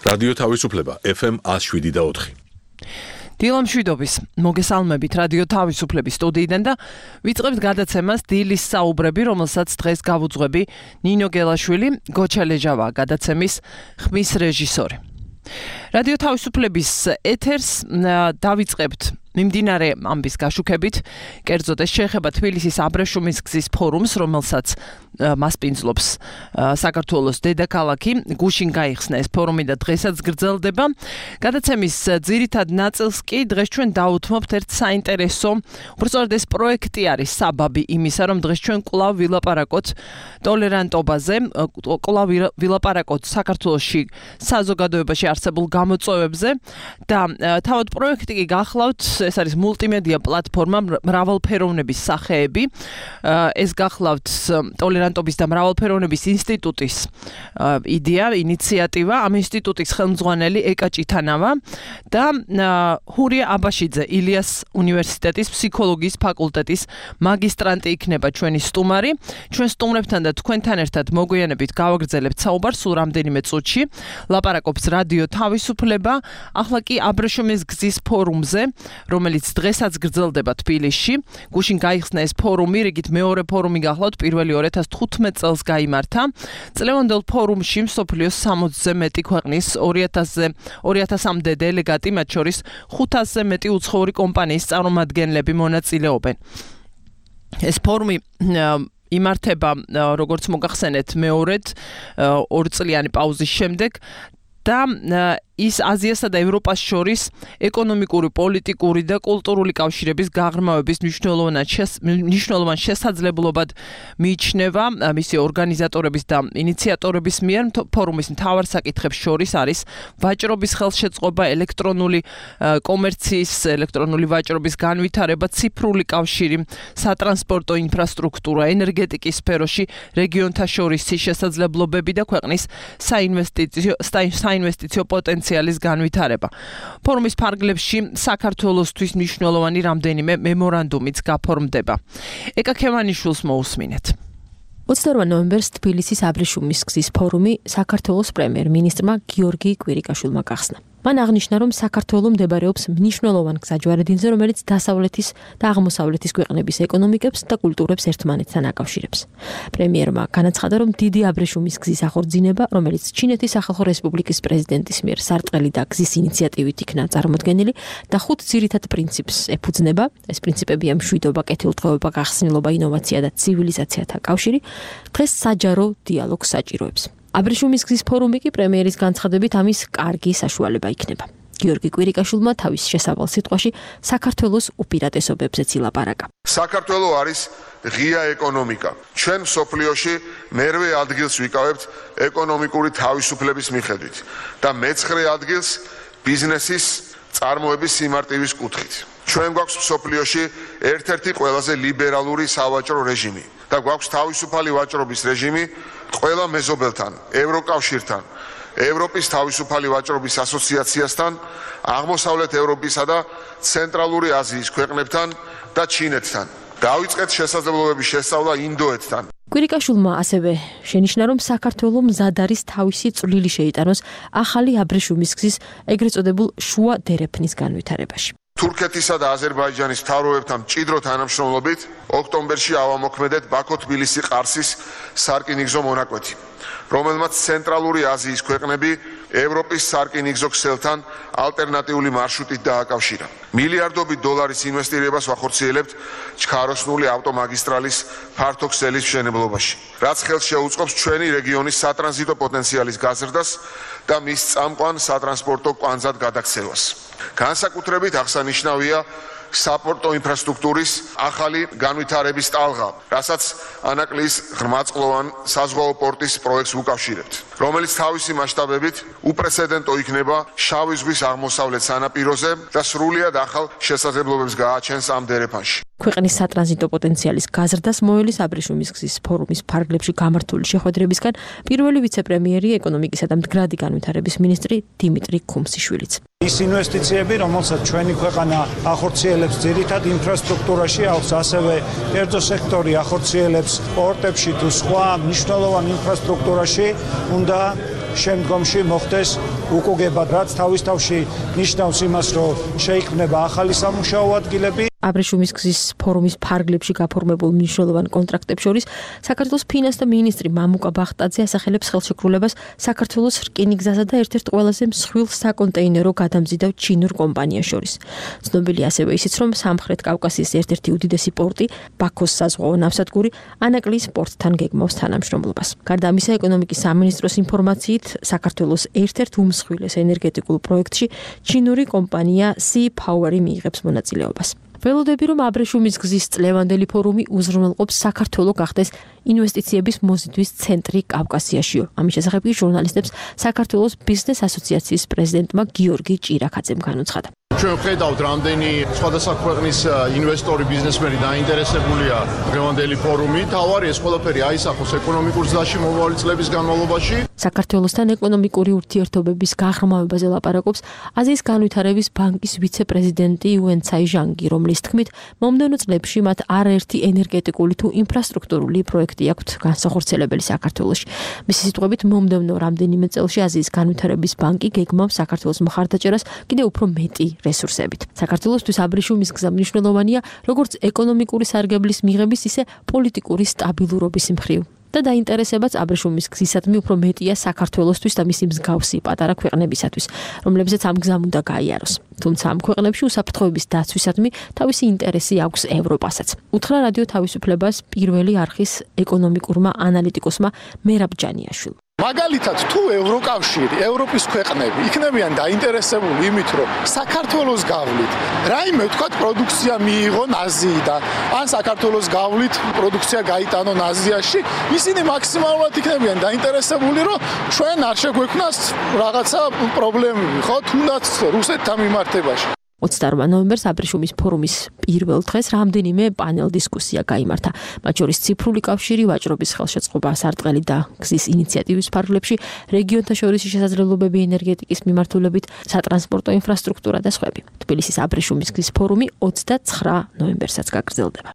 რადიო თავისუფლება FM 107.4. დილამშვიდობის მოგესალმებით რადიო თავისუფლების სტუდიიდან და ვიწყებთ გადაცემას დილის საუბრები, რომელსაც დღეს გავუძღვები ნინო გელაშვილი, გოჩა ლეჟავა გადაცემის ხმის რეჟისორი. რადიო თავისუფლების ეთერს დავიწყებთ მიმდინარე ამბის გაშუქებით, კერძოდ ეს შეეხება თბილისის აბრეშუმის გზის ფორუმს, რომელსაც მასპინძლობს საქართველოს დედაქალაქი. გუშინ გაიხსნა ეს ფორუმი და დღესაც გრძელდება. გადაცემის ძირითად ნაწილს კი დღეს ჩვენ დაუთმობთ ერთ საინტერესო, უბრალოდ ეს პროექტი არის საბაბი იმისა, რომ დღეს ჩვენ კვლავ ვილაპარაკოთ ტოლერანტობაზე, კვლავ ვილაპარაკოთ საქართველოში საზოგადოებაში არსებულ გამოწვევებზე და თავად პროექტი კი გახლავთ. ეს არის მულტიმედია პლატფორმა მრავალფეროვნების სახეები. ეს გახლავთ ტოლერანტობის და მრავალფეროვნების ინსტიტუტის იდეა, ინიციატივა. ამ ინსტიტუტის ხელმძღვანელი ეკა ჭითანავა და ჰურია აბაშიძე, ილიას უნივერსიტეტის ფსიქოლოგიის ფაკულტეტის მაგისტრანტი იქნება ჩვენი სტუმარი. ჩვენ სტუმრებთან და თქვენთან ერთად მოგვიანებით გავაგრძელებთ საუბარს სულ რამდენიმე წუთში. ლაპარაკობს რადიო თავისუფლება, ახლა კი აბრეშუმის გზის ფორუმზე, რომელიც დღესაც გრძელდება თბილისში. გუშინ გაიხსნა ეს ფორუმი, რიგით მეორე ფორუმი გახლავთ, პირველი 2015 წელს გაიმართა. წლევანდელ ფორუმში მსოფლიოს 60-ზე მეტი ქვეყნის 2000-მდე დელეგატი, მათ შორის 500-ზე მეტი უცხოური კომპანიის წარმომადგენლები მონაწილეობენ. ეს ფორუმი იმართება, როგორც მოგახსენეთ, მეორედ 2 წლიანი პაუზის შემდეგ და ის აზიასა და ევროპას შორის ეკონომიკური, პოლიტიკური და კულტურული კავშირების გაღრმავების მნიშვნელოვან შესაძლებლობად მიიჩნევა მისი ორგანიზატორების და ინიციატორების მიერ. ფორუმის მთავარ საკითხებს შორის არის ვაჭრობის ხელშეწყობა, ელექტრონული კომერციის, ელექტრონული ვაჭრობის განვითარება, ციფრული კავშირი, სატრანსპორტო ინფრასტრუქტურა, ენერგეტიკის სფეროში რეგიონთა შორისი შესაძლებლობები და ქვეყნის საინვესტიციო პოტენციალი განვითარება. ფორუმის ფარგლებში საქართველოსთვის მნიშვნელოვანი რამდენიმე მემორანდუმიც გაფორმდება. ეკა ქემანიშვილს მოусმინეთ. 28 ნოემბერს თბილისის აბრეშუმის გზის ფორუმი საქართველოს პრემიერ-მინისტრმა გიორგი კვირიკაშვილმა გახსნა. მან აღნიშნა, რომ საქართველო მდებარეობს მნიშვნელოვან გზაჯვარედინზე, რომელიც დასავლეთის და აღმოსავლეთის ქვეყნების ეკონომიკებს და კულტურებს ერთმანეთთან აკავშირებს. პრემიერმა განაცხადა, რომ დიდი აბრეშუმის გზის აღორძინება, რომელიც ჩინეთის სახალხო რესპუბლიკის პრეზიდენტის მიერ სარტყელი და გზის ინიციატივით იქნა წარმოდგენილი და 5 ძირითად პრინციპს ეფუძნება. ეს პრინციპებია მშვიდობა, კეთილდღეობა, გახსნილობა, ინოვაცია და ცივილიზაციათა კავშირი. დღეს საჯარო დიალოგს საჭიროებს. აბრეშუმის გზის ფორუმი კი პრემიერის განცხადებით ამის კარგი საშუალება იქნება. გიორგი კვირიკაშვილმა თავის შესავალ სიტყვაში საქართველოს უპირატესობებზეც ილაპარაკა. საქართველო არის ღია ეკონომიკა. ჩვენ მსოფლიოში მერვე ადგილს ვიკავებთ ეკონომიკური თავისუფლების მიხედვით და მე-9 ადგილს ბიზნესის წარმოების სიმარტივის კუთხით. ჩვენ გვაქვს მსოფლიოში ერთ-ერთი ყველაზე ლიბერალური სავაჭრო რეჟიმი და გვაქვს თავისუფალი ვაჭრობის რეჟიმი ყველა მეზობელთან, ევროკავშირთან, ევროპის თავისუფალი ვაჭრობის ასოციაციასთან, აღმოსავლეთ ევროპისა და ცენტრალური აზიის ქვეყნებთან და ჩინეთთან. დავიწყეთ შესაძლებლობების შესწავლა ინდოეთთან. კვირიკაშვილმა ასევე შენიშნა, რომ საქართველო მზად არის თავისი წვლილი შეიტანოს ახალი აბრეშუმის გზის ეგრეთ წოდებულ შუა დერეფნის განვითარებაში. თურქეთისა და აზერბაიჯანის მთავრობებთან მჭიდრო თანამშრომლობით ოქტომბერში ავამოქმედეთ ბაქო-თბილისი-ყარსის სარკინიგზო მონაკვეთი, რომელმაც ცენტრალური აზიის ქვეყნები ევროპის სარკინიგზო ქსელთან ალტერნატიული მარშრუტით დააკავშირა. მილიარდობით დოლარის ინვესტირებას ვახორციელებთ ჩქაროსნული ავტომაგისტრალის ფართო ქსელის მშენებლობაში, რაც ხელს შეუწყობს ჩვენი რეგიონის სატრანზიტო პოტენციალის გაზრდას და მის წამყვან სატრანსპორტო კვანძად გადაქცევას. განსაკუთრებით აღსანიშნავია საპორტო ინფრასტრუქტურის ახალი განვითარების ტალღა, რასაც ანაკლიის ღრმაწყლოვან საზღვაო პორტის პროექტს უკავშირებთ, რომელიც თავისი მასშტაბებით უპრეცედენტო იქნება შავი ზღვის აღმოსავლეთ სანაპიროზე და სრულიად ახალ შესაძლებლობებს გააჩენს ამ დერეფანში. ქვეყნის სატრანზიტო პოტენციალის გაზრდას მოელის აბრეშუმის გზის ფორუმის ფარგლებში გამართული შეხვედრებისგან პირველი ვიცე-პრემიერი ეკონომიკისა და მდგრადი განვითარების მინისტრი დიმიტრი ქუმსიშვილიც. ის ინვესტიციები, რომელსაც ჩვენი ქვეყანა ახორციელებს ძირითად ინფრასტრუქტურაში, ასევე კერძო სექტორი ახორციელებს პორტებში თუ სხვა მნიშვნელოვან ინფრასტრუქტურაში, უნდა შემდგომში მოხდეს უკუგება, რაც თავის თავში ნიშნავს იმას, რომ შეიქმნება ახალი სამუშაო ადგილები. აბრეშუმის გზის ფორუმის ფარგლებში გაფორმებულ მნიშვნელოვან კონტრაქტებს შორის საქართველოს ფინანსთა მინისტრი მამუკა ბახტაძე ასახელებს ხელშეკრულებას საქართველოს რკინიგზასა და ერთ-ერთ ყველაზე მსხვილ საკონტეინერო გადამზიდავ ჩინურ კომპანიას შორის. ცნობილია ასევე ისიც, რომ სამხრეთ კავკასიის ერთ-ერთი უდიდესი პორტი, ბაქოს საზღვაო ნავსადგური ანაკლიის პორტთან გეგმავს თანამშრომლობას. გარდა ამისა, ეკონომიკის სამინისტროს ინფორმაციით, საქართველოს ერთ-ერთ უმსხვილეს ენერგეტიკულ პროექტში ჩინური კომპანია Sea Power მიიღებს მონაწილეობას. ველოდები, რომ აბრეშუმის გზის წლევანდელი ფორუმი უზრუნველყოფს საქართველოს გახდეს ინვესტიციების მოზიდვის ცენტრი კავკასიაშიო. ამის შესახებ ჟურნალისტებს საქართველოს ბიზნეს ასოციაციის პრეზიდენტმა გიორგი ჭირაქაძემ განუცხადა. ჩვენ ვხედავთ, რამდენი სხვადასხვა ქვეყნის ინვესტორი, ბიზნესმენი დაინტერესებულია დღევანდელი ფორუმით. თავარი ეს ყველაფერი აისახოს ეკონომიკურ ზრდაში მომავალი წლების განმავლობაში. საქართველოსთან ეკონომიკური ურთიერთობების გაღრმავებაზე ლაპარაკობს აზიის განვითარების ბანკის ვიცე-პრეზიდენტი იუენ ცაიჟანგი, რომლის თქმით, მომდევნო წლებში მათ არაერთი ენერგეტიკული თუ ინფრასტრუქტურული პროექტი აქვთ განსახორციელებელი საქართველოში. მისი სიტყვებით, მომდევნო რამდენიმე წელში აზიის განვითარების ბანკი გეგმავს საქართველოს მხარდაჭერას კიდევ უფრო მეტი რესურსებით. საქართველოსთვის აბრეშუმის გზა მნიშვნელოვანია როგორც ეკონომიკური სარგებლის მიღების, ისე პოლიტიკური სტაბილურობის მხრივ. და დაინტერესებაც აბრეშუმის გზისადმი უფრო მეტია საქართველოსთვის და მისი მსგავსი პატარა ქვეყნებისათვის, რომლებზეც ამ გზამ უნდა გაიაროს. თუმცა ამ ქვეყნებში უსაფრთხოების დაცვისადმი თავისი ინტერესი აქვს ევროპასაც. უთხრა რადიო თავისუფლებას პირველი არხის ეკონომიკურმა ანალიტიკოსმა მერაბ ჯანიაშვილმა. მაგალითად, თუ ევროკავშირი, ევროპის ქვეყნები იქნებიან დაინტერესებული იმით, რომ საქართველოს გავლით რაიმე ვთქვათ პროდუქცია მიიღონ აზიიდან, ან საქართველოს გავლით პროდუქცია გაიტანონ აზიაში, ისინი მაქსიმალურად იქნებიან დაინტერესებული, რომ ჩვენ არ შეგვექმნას რაღაცა პრობლემები, ხო, თუნდაც რუსეთთან მიმართებაში. 28 ნოემბერს აბრეშუმის ფორუმის პირველ დღეს რამდენიმე პანელ დისკუსია გაიმართა. მათ შორის ციფრული კავშირი, ვაჭრობის ხელშეწყობა, სარტყელი და გზის ინიციატივის ფარგლებში, რეგიონთა შორისი შესაძლებლობები ენერგეტიკის მიმართულებით, სატრანსპორტო ინფრასტრუქტურა და სხვები. თბილისის აბრეშუმის გზის ფორუმი 29 ნოემბერსაც გაგრძელდება.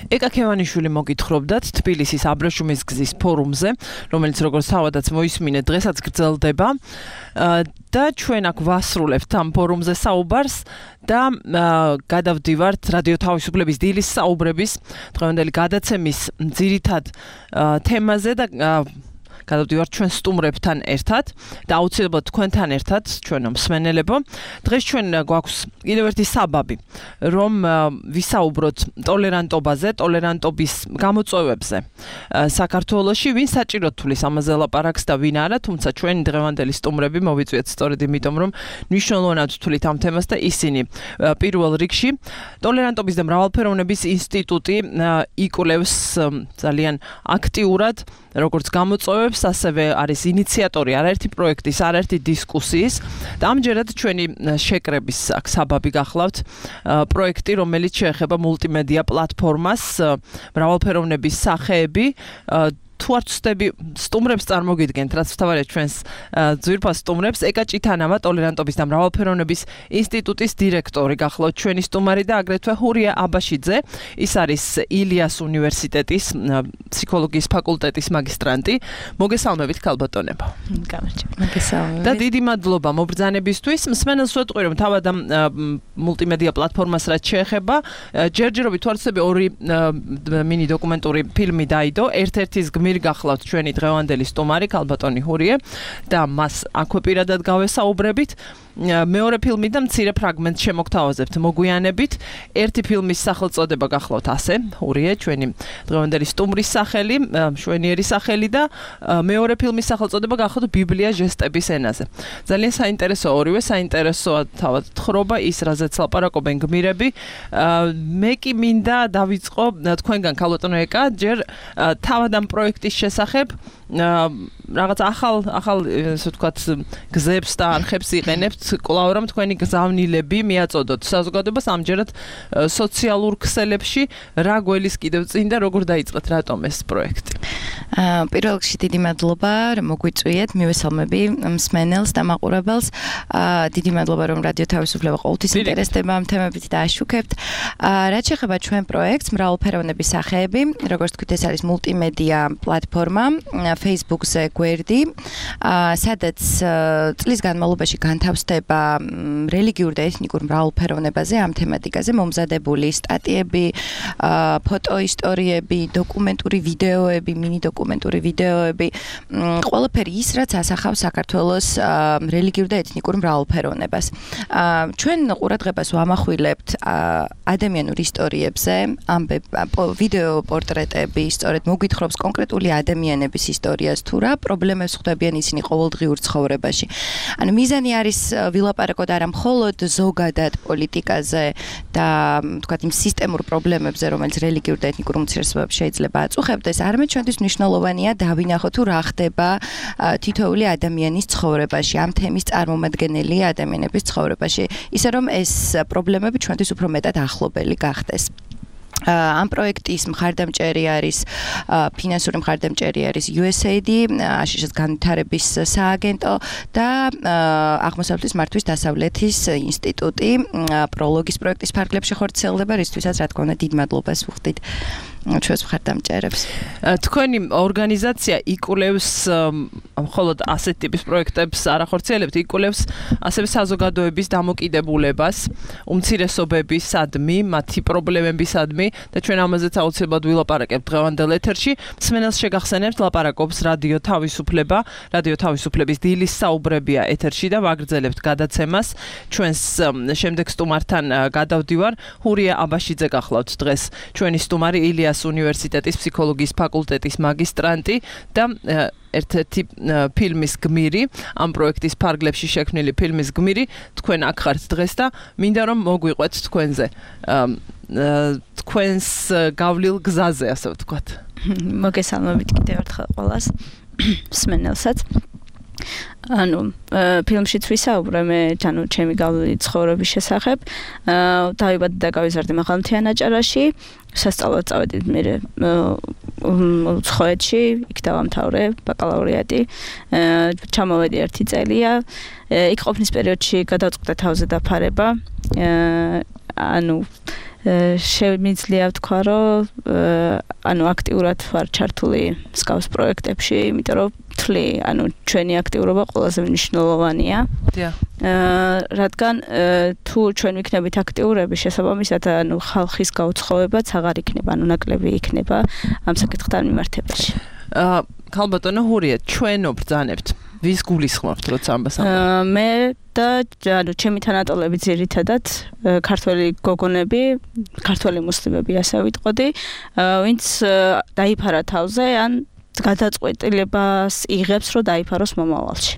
ეკა ქევანიშვილი მოგითხრობდათ თბილისის აბრეშუმის გზის ფორუმზე, რომელიც როგორც თავადაც მოისმინეთ, დღესაც გრძელდება და ჩვენ აქ ვასრულებთ ამ ფორუმზე საუბარს და გადავდივართ რადიო თავისუფლების დილის საუბრების დღევანდელი გადაცემის ძირითად თემაზე და გადავდივართ ჩვენ სტუმრებთან ერთად და აუცილებლად თქვენთან ერთად, ჩვენო მსმენელებო. დღეს ჩვენ გვაქვს კიდევ ერთი საბაბი, რომ ვისაუბროთ ტოლერანტობაზე, ტოლერანტობის გამოწვევებზე საქართველოში, ვინ საჭიროდ თulis ამაზე ლაპარაკს და ვინ არა, თუმცა ჩვენი დღევანდელი სტუმრები მოვიწვიეთ სწორედ იმიტომ, რომ მნიშვნელოვნად თulit ამ თემას და ისინი პირველ რიგში ტოლერანტობის და მრავალფეროვნების ინსტიტუტი იკვლევს ძალიან აქტიურად როგორც გამოწვევებს, ასევე არის ინიციატორი არაერთი პროექტის, არაერთი დისკუსიის და ამჯერად ჩვენი შეკრების აქ საბაბი გახლავთ პროექტი, რომელიც შეეხება მულტიმედია პლატფორმას, მრავალფეროვნების სახეები. თუ არ ვწდები სტუმრებს წარმოგიდგენთ, რაც თავარია ჩვენს ძვირფას სტუმრებს, ეკა ჭითანავა ტოლერანტობის და მრავალფეროვნების ინსტიტუტის დირექტორი გახლავთ ჩვენი სტუმარი და აგრეთვე ჰურია აბაშიძე, ის არის ილიას უნივერსიტეტის ფსიქოლოგიის ფაკულტეტის მაგისტრანტი. მოგესალმებით ქალბატონებო. მოგესალმებით. და დიდი მადლობა მობრძანებისთვის. მსმენელს ვეტყვი, რომ თავად ამ მულტიმედია პლატფორმას რაც შეეხება, ჯერჯერობით თუ არ ვწდები ორი მინი დოკუმენტური ფილმი დაიდო, ერთ-ერთის გმირი გახლავთ ჩვენი დღევანდელი სტუმარი ქალბატონი ჰურიე და მას აქვე პირადად გავესაუბრებით. მეორე ფილმი და მცირე ფრაგმენტს შემოგთავაზებთ მოგვიანებით. ერთი ფილმის სახელწოდება გახლავთ ასე, ჰურიე, ჩვენი დღევანდელი სტუმრის სახელი, მშვენიერი სახელი და მეორე ფილმის სახელწოდება გახლავთ ბიბლია ჟესტების ენაზე. ძალიან საინტერესო ორივე, საინტერესოა თავად თხრობა ის, რაზეც ლაპარაკობენ გმირები. მე კი მინდა დავიწყო თქვენგან ქალბატონო ეკა, ჯერ თავად ამ პროექტის შესახებ რაღაც ახალ ესე ვთქვათ გზებს და არხებს იყენებთ, კვლავ რომ თქვენი გზავნილები მიაწოდოთ საზოგადოებას ამჯერად სოციალურ ქსელებში, რა გველის კიდევ წინ და როგორ დაიწყეთ რატომ ეს პროექტი? პირველ რიგში დიდი მადლობა, რომ მოგვიწვიეთ, მივესალმები მსმენელს და მაყურებელს. დიდი მადლობა, რომ რადიო თავისუფლება ყოველთვის ინტერესდება ამ თემებით და აშუქებთ. რაც შეეხება ჩვენ პროექტს, მრავალფეროვნების სახეები, როგორც თქვით, ეს არის მულტიმედია პლატფორმა Facebook-ზე გვერდი, სადაც წლის განმავლობაში განთავსდება რელიგიურ და ეთნიკურ მრავალფეროვნებაზე ამ თემატიკაზე მომზადებული სტატიები, ფოტო ისტორიები, დოკუმენტური ვიდეოები, მინი დოკუმენტური ვიდეოები, ყველაფერი ის, რაც ასახავს საქართველოს რელიგიურ და ეთნიკურ მრავალფეროვნებას. ჩვენ ყურადღებას ვამახვილებთ ადამიანურ ისტორიებზე, ვიდეო პორტრეტები, სწორედ მოგვითხრობს კონკრეტული ადამიანების ისტორიას თუ რა პრობლემებს ხვდებიან ისინი ყოველდღიურ ცხოვრებაში. ანუ მიზანი არის ვილაპარაკოთ არა მხოლოდ ზოგადად პოლიტიკაზე და თქვათ იმ სისტემურ პრობლემებზე, რომელიც რელიგიურ და ეთნიკურ უმცირესობებს შეიძლება აწუხებდეს, არამედ ჩვენთვის მნიშვნელოვანია დავინახოთ თუ რა ხდება თითოეული ადამიანის ცხოვრებაში, ამ თემის წარმომადგენელი ადამიანების ცხოვრებაში, ისე რომ ეს პრობლემები ჩვენთვის უფრო მეტად ახლობელი გახდეს. ამ პროექტის მხარდამჭერი არის ფინანსური მხარდამჭერი არის USAID, აშშ-ის განვითარების სააგენტო და აღმოსავლეთის მართვის დასავლეთის ინსტიტუტი პროლოგის პროექტის ფარგლებში ხორციელდება, რისთვისაც რა თქმა უნდა დიდ მადლობას ვუხდით ჩვენს მხარდამჭერებს. თქვენი ორგანიზაცია იკვლევს მხოლოდ ასეთ ტიპის პროექტებს არ ახორციელებთ, იკვლევს ასევე საზოგადოების დამოკიდებულებას, უმცირესობებისადმი, მათი პრობლემებისადმი და ჩვენ ამაზეც აუცილებლად ვილაპარაკებთ დღევანდელ ეთერში. მსმენელს შეგახსენებთ, ლაპარაკობს რადიო თავისუფლება, რადიო თავისუფლების დილის საუბრებია ეთერში და ვაგრძელებთ გადაცემას. ჩვენს შემდეგ სტუმართან გადავდივარ. ჰურია აბაშიძე გახლავთ დღეს ჩვენი სტუმარი, ილიას უნივერსიტეტის ფსიქოლოგიის ფაკულტეტის მაგისტრანტი და ერთ-ერთი ფილმის გმირი, ამ პროექტის ფარგლებში შექმნილი ფილმის გმირი. თქვენ აქ ხართ დღეს და მინდა რომ მოგვიყვეთ თქვენზე. თქვენს გავლილ გზაზე, ასე ვთქვათ. მოგესალმებით კიდევ ერთხელ ყველას, მსმენელსაც. ანუ ფილმშიც ვისაუბრე მე ჩემი გავლილი ცხოვრების შესახებ. დავიბადე და გავიზარდე მაღალმთიან აჭარაში. სასწავლებლად წავედი მე უცხოეთში, იქ დავამთავრე ბაკალავრიატი. ჩამოვედი 1 წელია. იქ ყოფნის პერიოდში გადავწყვიტე თავზე დაფარება. ანუ შემიძლია ვთქვა, რომ ანუ აქტიურად ვარ ჩართული მსგავს პროექტებში, იმიტომ რომ თვლი, ანუ ჩვენი აქტიურობა ყველაზე მნიშვნელოვანია. დიახ. რადგან თუ ჩვენ ვიქნებით აქტიურები, შესაბამისად, ანუ ხალხის გაუცხოებაც აღარ იქნება, ანუ ნაკლები იქნება ამ საკითხთან მიმართებაში. ქალბატონო ჰურია, ჩვენ ვბრძანებთ. ვის გულისხმობთ, როცა ამბას ამბობთ? მე და ანუ ჩემი თანატოლები ძირითადად ქართველი გოგონები, ქართველი მუსლიმები ასე ვიტყოდი, ვინც დაიფარა თავზე ან გადაწყვეტილებას იღებს, რომ დაიფაროს მომავალში.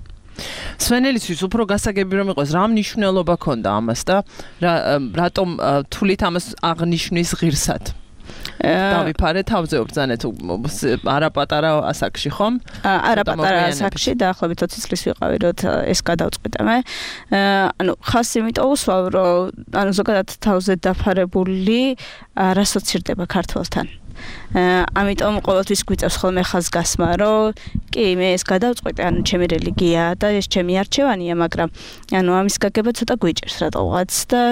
სვენელისთვის უფრო გასაგები რომ იყოს, რა მნიშვნელობა ქონდა ამას და რატომ თulit ამას აღნიშნის ღირსად? დავიფარე თავზე ვბრძანეთ არაპატარა ასაკში ხომ? არაპატარა ასაკში დაახლოებით 20 წლის ვიყავი, როცა ეს გადავწყვიტე მე. ანუ ხას იმიტომ უსვავ, რომ ანუ ზოგადად თავზე დაფარებული არასოც ირდება ქართველთან. ამიტომ ყოველთვის გვიწევს ხოლმე ხაზგასმა, რომ კი მე ეს გადავწყვიტე, ანუ ჩემი რელიგია და ეს ჩემი არჩევანია, მაგრამ ანუ ამის გაგება ცოტა გვიჭერს რატოღაც და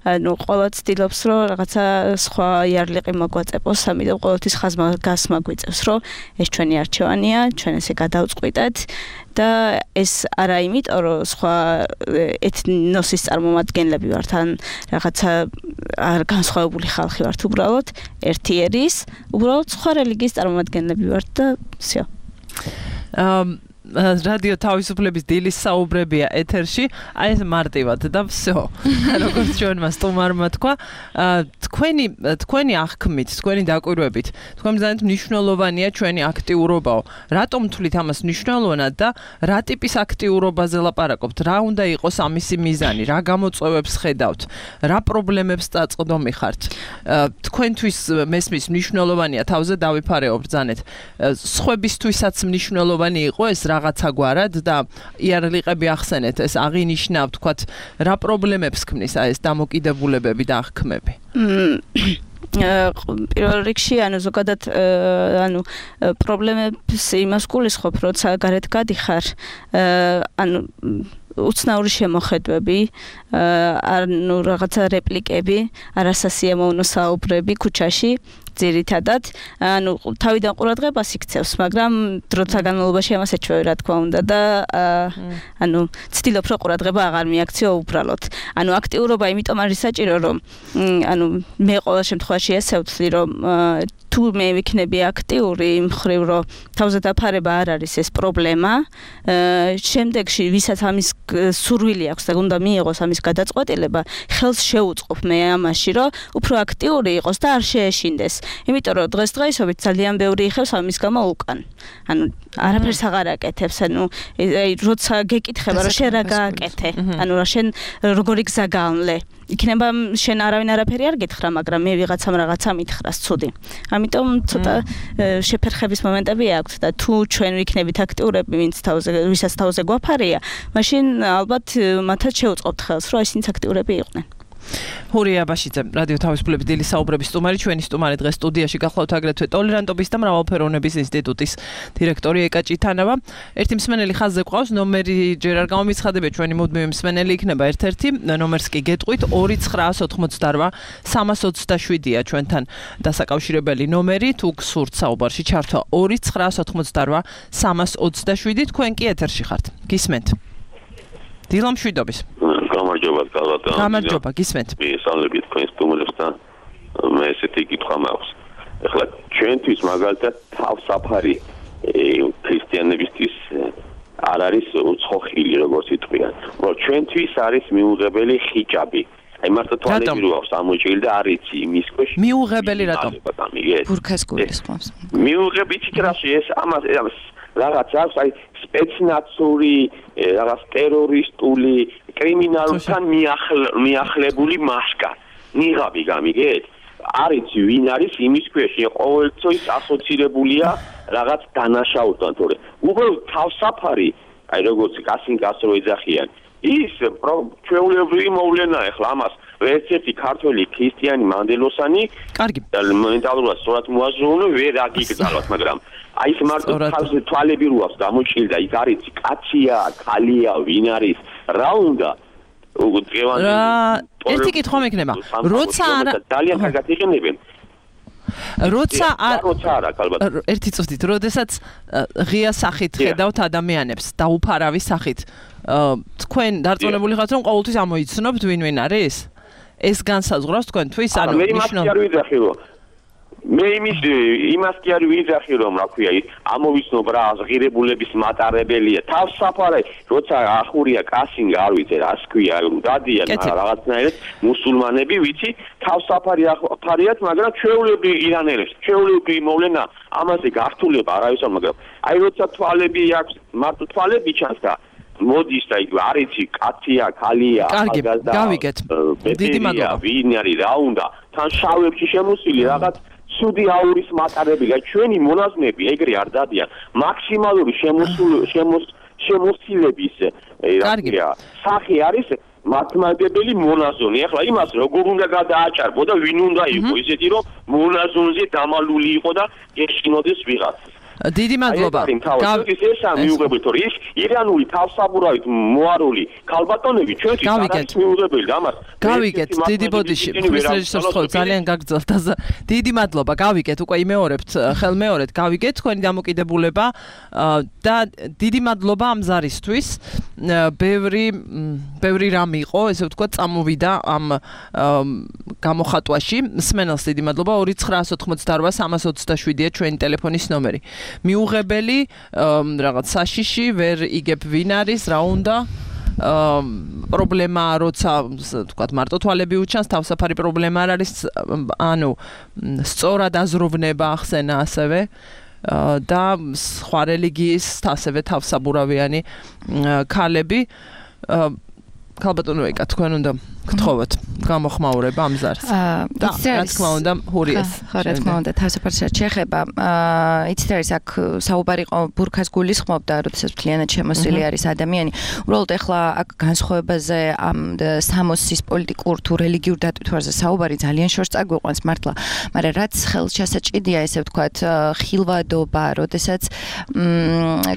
ანუ ყოველთვის ცდილობს, რომ რაღაცა სხვა იარლიყი მოგვაწეპოს, ამიტომ ყოველთვის ხაზგასმა გვიწევს, რომ ეს ჩვენი არჩევანია, ჩვენ ესე გადავწყვიტეთ და ეს არა იმიტომ, რომ სხვა ეთნოსის წარმომადგენლები ვართ, ან რაღაცა განსხვავებული ხალხი ვართ, უბრალოდ ერთი ერის, უბრალოდ სხვა რელიგიის წარმომადგენლები ვართ და всё. რადიო თავისუფლების დილის საუბრებია ეთერში, აი ეს მარტივად და всё. როგორც ჩვენმა სტუმარმა თქვა, თქვენი აღქმით, თქვენი დაკვირვებით, თქვენ ბრძანეთ მნიშვნელოვანია ჩვენი აქტიურობაო. რატომ თulit ამას მნიშვნელოვნად და რა ტიპის აქტიურობაზე ლაპარაკობთ? რა უნდა იყოს ამისი მიზანი? რა გამოწვევებს ხედავთ? რა პრობლემებს წაწყდომი ხართ? თქვენთვის მესმის მნიშვნელოვანია თავზე დავიფარეო ბრძანეთ. სხვებისთვისაც მნიშვნელოვანი იყო ეს რაღაცა გვარად და იარლიყები ახსენეთ, ეს აღინიშნა, ვთქვათ, რა პრობლემებს ქმნის ეს დამოკიდებულებები და აღქმები? პირველ რიგში, ანუ ზოგადად, ანუ პრობლემებს იმას გულისხმობ, როცა გარეთ გადიხარ, ანუ უცნაური შემოხედვები, ანუ რაღაცა რეპლიკები, არასასიამოვნო საუბრები ქუჩაში, ძირითადად, ანუ თავიდან ყურადღებას იქცევს, მაგრამ დროთა განმავლობაში ამას ეჩვევი, რა თქმა უნდა და ანუ ცდილობ რომ ყურადღება აღარ მიაქციო უბრალოდ. ანუ აქტიურობა იმიტომ არის საჭირო, რომ ანუ მე ყოველ შემთხვევაში ესე ვთვლი, რომ თუ მე ვიქნები აქტიური იმ მხრივ, რომ თავზე დაფარება არ არის ეს პრობლემა, შემდეგში ვისაც ამის სურვილი აქვს და უნდა მიიღოს ამის გადაწყვეტილება, ხელს შეუწყობ მე ამაში, რომ უფრო აქტიური იყოს და არ შეეშინდეს. იმიტომ რომ დღესდღეობით ძალიან ბევრი იხევს ამის გამო უკან. ანუ არაფერს აღარ აკეთებს, ანუ როცა გეკითხება რომ შენ რა გააკეთე, ანუ რა შენ როგორი გზა გაამლე. იქნება შენ არავინ არაფერი არ გითხრა, მაგრამ მე ვიღაცამ რაღაცა მითხრას ცუდი. ამიტომ ცოტა შეფერხების მომენტები აქვს და თუ ჩვენ ვიქნებით აქტიურები, ვისაც თავზე გვაფარია, მაშინ ალბათ მათაც შევუწყობთ ხელს, რომ ისინიც აქტიურები იყვნენ. ჰურია აბაშიძე, რადიო თავისუფლების დილის საუბრების სტუმარი, ჩვენი სტუმარი დღეს სტუდიაში გახლავთ აგრეთვე ტოლერანტობის და მრავალფეროვნების ინსტიტუტის დირექტორი ეკა ჭითანავა. ერთი მსმენელი ხაზზე ყავს, ნომერი ჯერ არ გამომიცხადებია, ჩვენი მუდმივი მსმენელი იქნება ერთ-ერთი, ნომერს კი გეტყვით 2988 327-ია ჩვენთან დასაკავშირებელი ნომერი, თუ გსურთ საუბარში ჩართვა 2988 327, თქვენ კი ეთერში ხართ. გისმენთ. დილა მშვიდობის. გამარჯობა, კალათა. გამარჯობა, გისმენთ. მისალები თქვენ სტუმრებს და მე ესეთი კითხვა მაქვს. ეხლა ჩვენთვის მაგალითად თავსაფარი ქრისტიანებისთვის არ არის უცხოხილი, როგორც იტყვიან. რომ ჩვენთვის არის მიუღებელი ხიჭაბი. აი მარტო თვალები რო აქვს ამოჭილი და არ იცი იმის ქვეშ. მიუღებელი რატომ? ბურქას გულისხმობს. მიუღებითი რაში ეს ამას რაღაც აქვს, აი სპეცნაცური, რაღაც ტერორისტული, კრიმინალთან მიახლებული მასკა. ნიღაბი გამიგეთ? არის ვინ არის იმის ქვეშ, ყოველთვის ასოცირებულია რაღაც დანაშაულთან, თორე უბრალოდ თავსაფარი, აი როგორც კასინკას რო ეძახიან, ის ჩვეულებრივი მოვლენა ახლა ამას ერთ-ერთი ქართველი ქრისტიანი მანდელოსანი კარგი მენტალურად სწორად მოაზროვნე ვერ აგიგზავნოთ, მაგრამ აი ეს მარტო თავზე თვალები რო აქვს გამოჭილი და იქ არის კაცია, ქალია, ვინ არის, რა უნდა ერთი კითხვა მექნება. როცა ძალიან კარგად იყენებენ. როცა ერთი წუთით, როდესაც ღია სახით ხედავთ ადამიანებს და უფარავი სახით, თქვენ დარწმუნებული ხართ, რომ ყოველთვის ამოიცნობთ ვინ არის? ეს განსაზღვრავს თქვენთვის, ანუ მე იმას კი არ ვიძახი, რომ რა ქვია, ამოვიცნობ რა ღირებულების მატარებელია. თავსაფარი, როცა ახურია კასინგა, არ ვიცი რა ქვია, დადიან რაღაცნაირად მუსულმანები, ვიცი, თავსაფარი ახარიათ, მაგრამ ჩვეულებრივი ირანელებს, ჩვეულებრივი მოვლენა, ამაზე გართულება არავის არ, მაგრამ აი როცა თვალები აქვს, მარტო თვალები ჩანს და მოდის და იქ არ იცი, კაცია, ქალია, ახალგაზრდა. გავიგეთ. დიდი მადლობა. ვინ არის, რა უნდა, თან შავებში შემოსილი რაღაც სუდი აურის მატარებელია, ჩვენი მონაზვნები ეგრე არ დადიან. მაქსიმალური შემოსილების სახე არის მართლმადიდებელი მონაზონი. ახლა იმას როგორ უნდა გადააჭარბო და ვინ უნდა იყო ისეთი, რომ მონაზონზე დამალული იყო და ეშინოდეს ვიღაცას. დიდი მადლობა. ესა მიუღებელი, თორე ის ირანული თავსაბურავით მოარული ქალბატონები ჩვენთვის არის მიუღებელი და ამას გავიგეთ. დიდი ბოდიში რეჟისორს ხო ძალიან გაგრძელთ. დიდი მადლობა. გავიგეთ, უკვე იმეორებთ, ხელმეორეთ, გავიგეთ თქვენი დამოკიდებულება და დიდი მადლობა ამ ზარისთვის. ბევრი რამ იყო, ესე ვთქვათ, წამოვიდა ამ გამოხატვაში. მსმენელს დიდი მადლობა. 2988 327-ია ჩვენი ტელეფონის ნომერი. მიუღებელი რაღაც საშიში ვერ იგებ ვინ არის, რა უნდა პრობლემა როცა თქვათ მარტო თვალები უჩანს, თავსაფარი პრობლემა არ არის, ანუ სწორად აზროვნება ახსენა ასევე და სხვა რელიგიის ასევე თავსაბურავიანი ქალები. ქალბატონო ეკა, თქვენ უნდა გთხოვოთ გამოხმაურება ამ ზარს. და რა თქმა უნდა, ჰურიას. ხო, რა თქმა უნდა, თავსაფარს შეეხება. იცით არის აქ საუბარი იყო ბურქას გულისხმობდა, როდესაც მთლიანად შემოსილი არის ადამიანი. უბრალოდ ეხლა აქ განსხვავებაზე ამ სამოსის პოლიტიკურ თუ რელიგიურ დატვირთვაზე საუბარი ძალიან შორს წაგვიყვანს მართლა, მაგრამ რაც ხელშესაჭედია, ესე ვთქვათ, ხილვადობა, როდესაც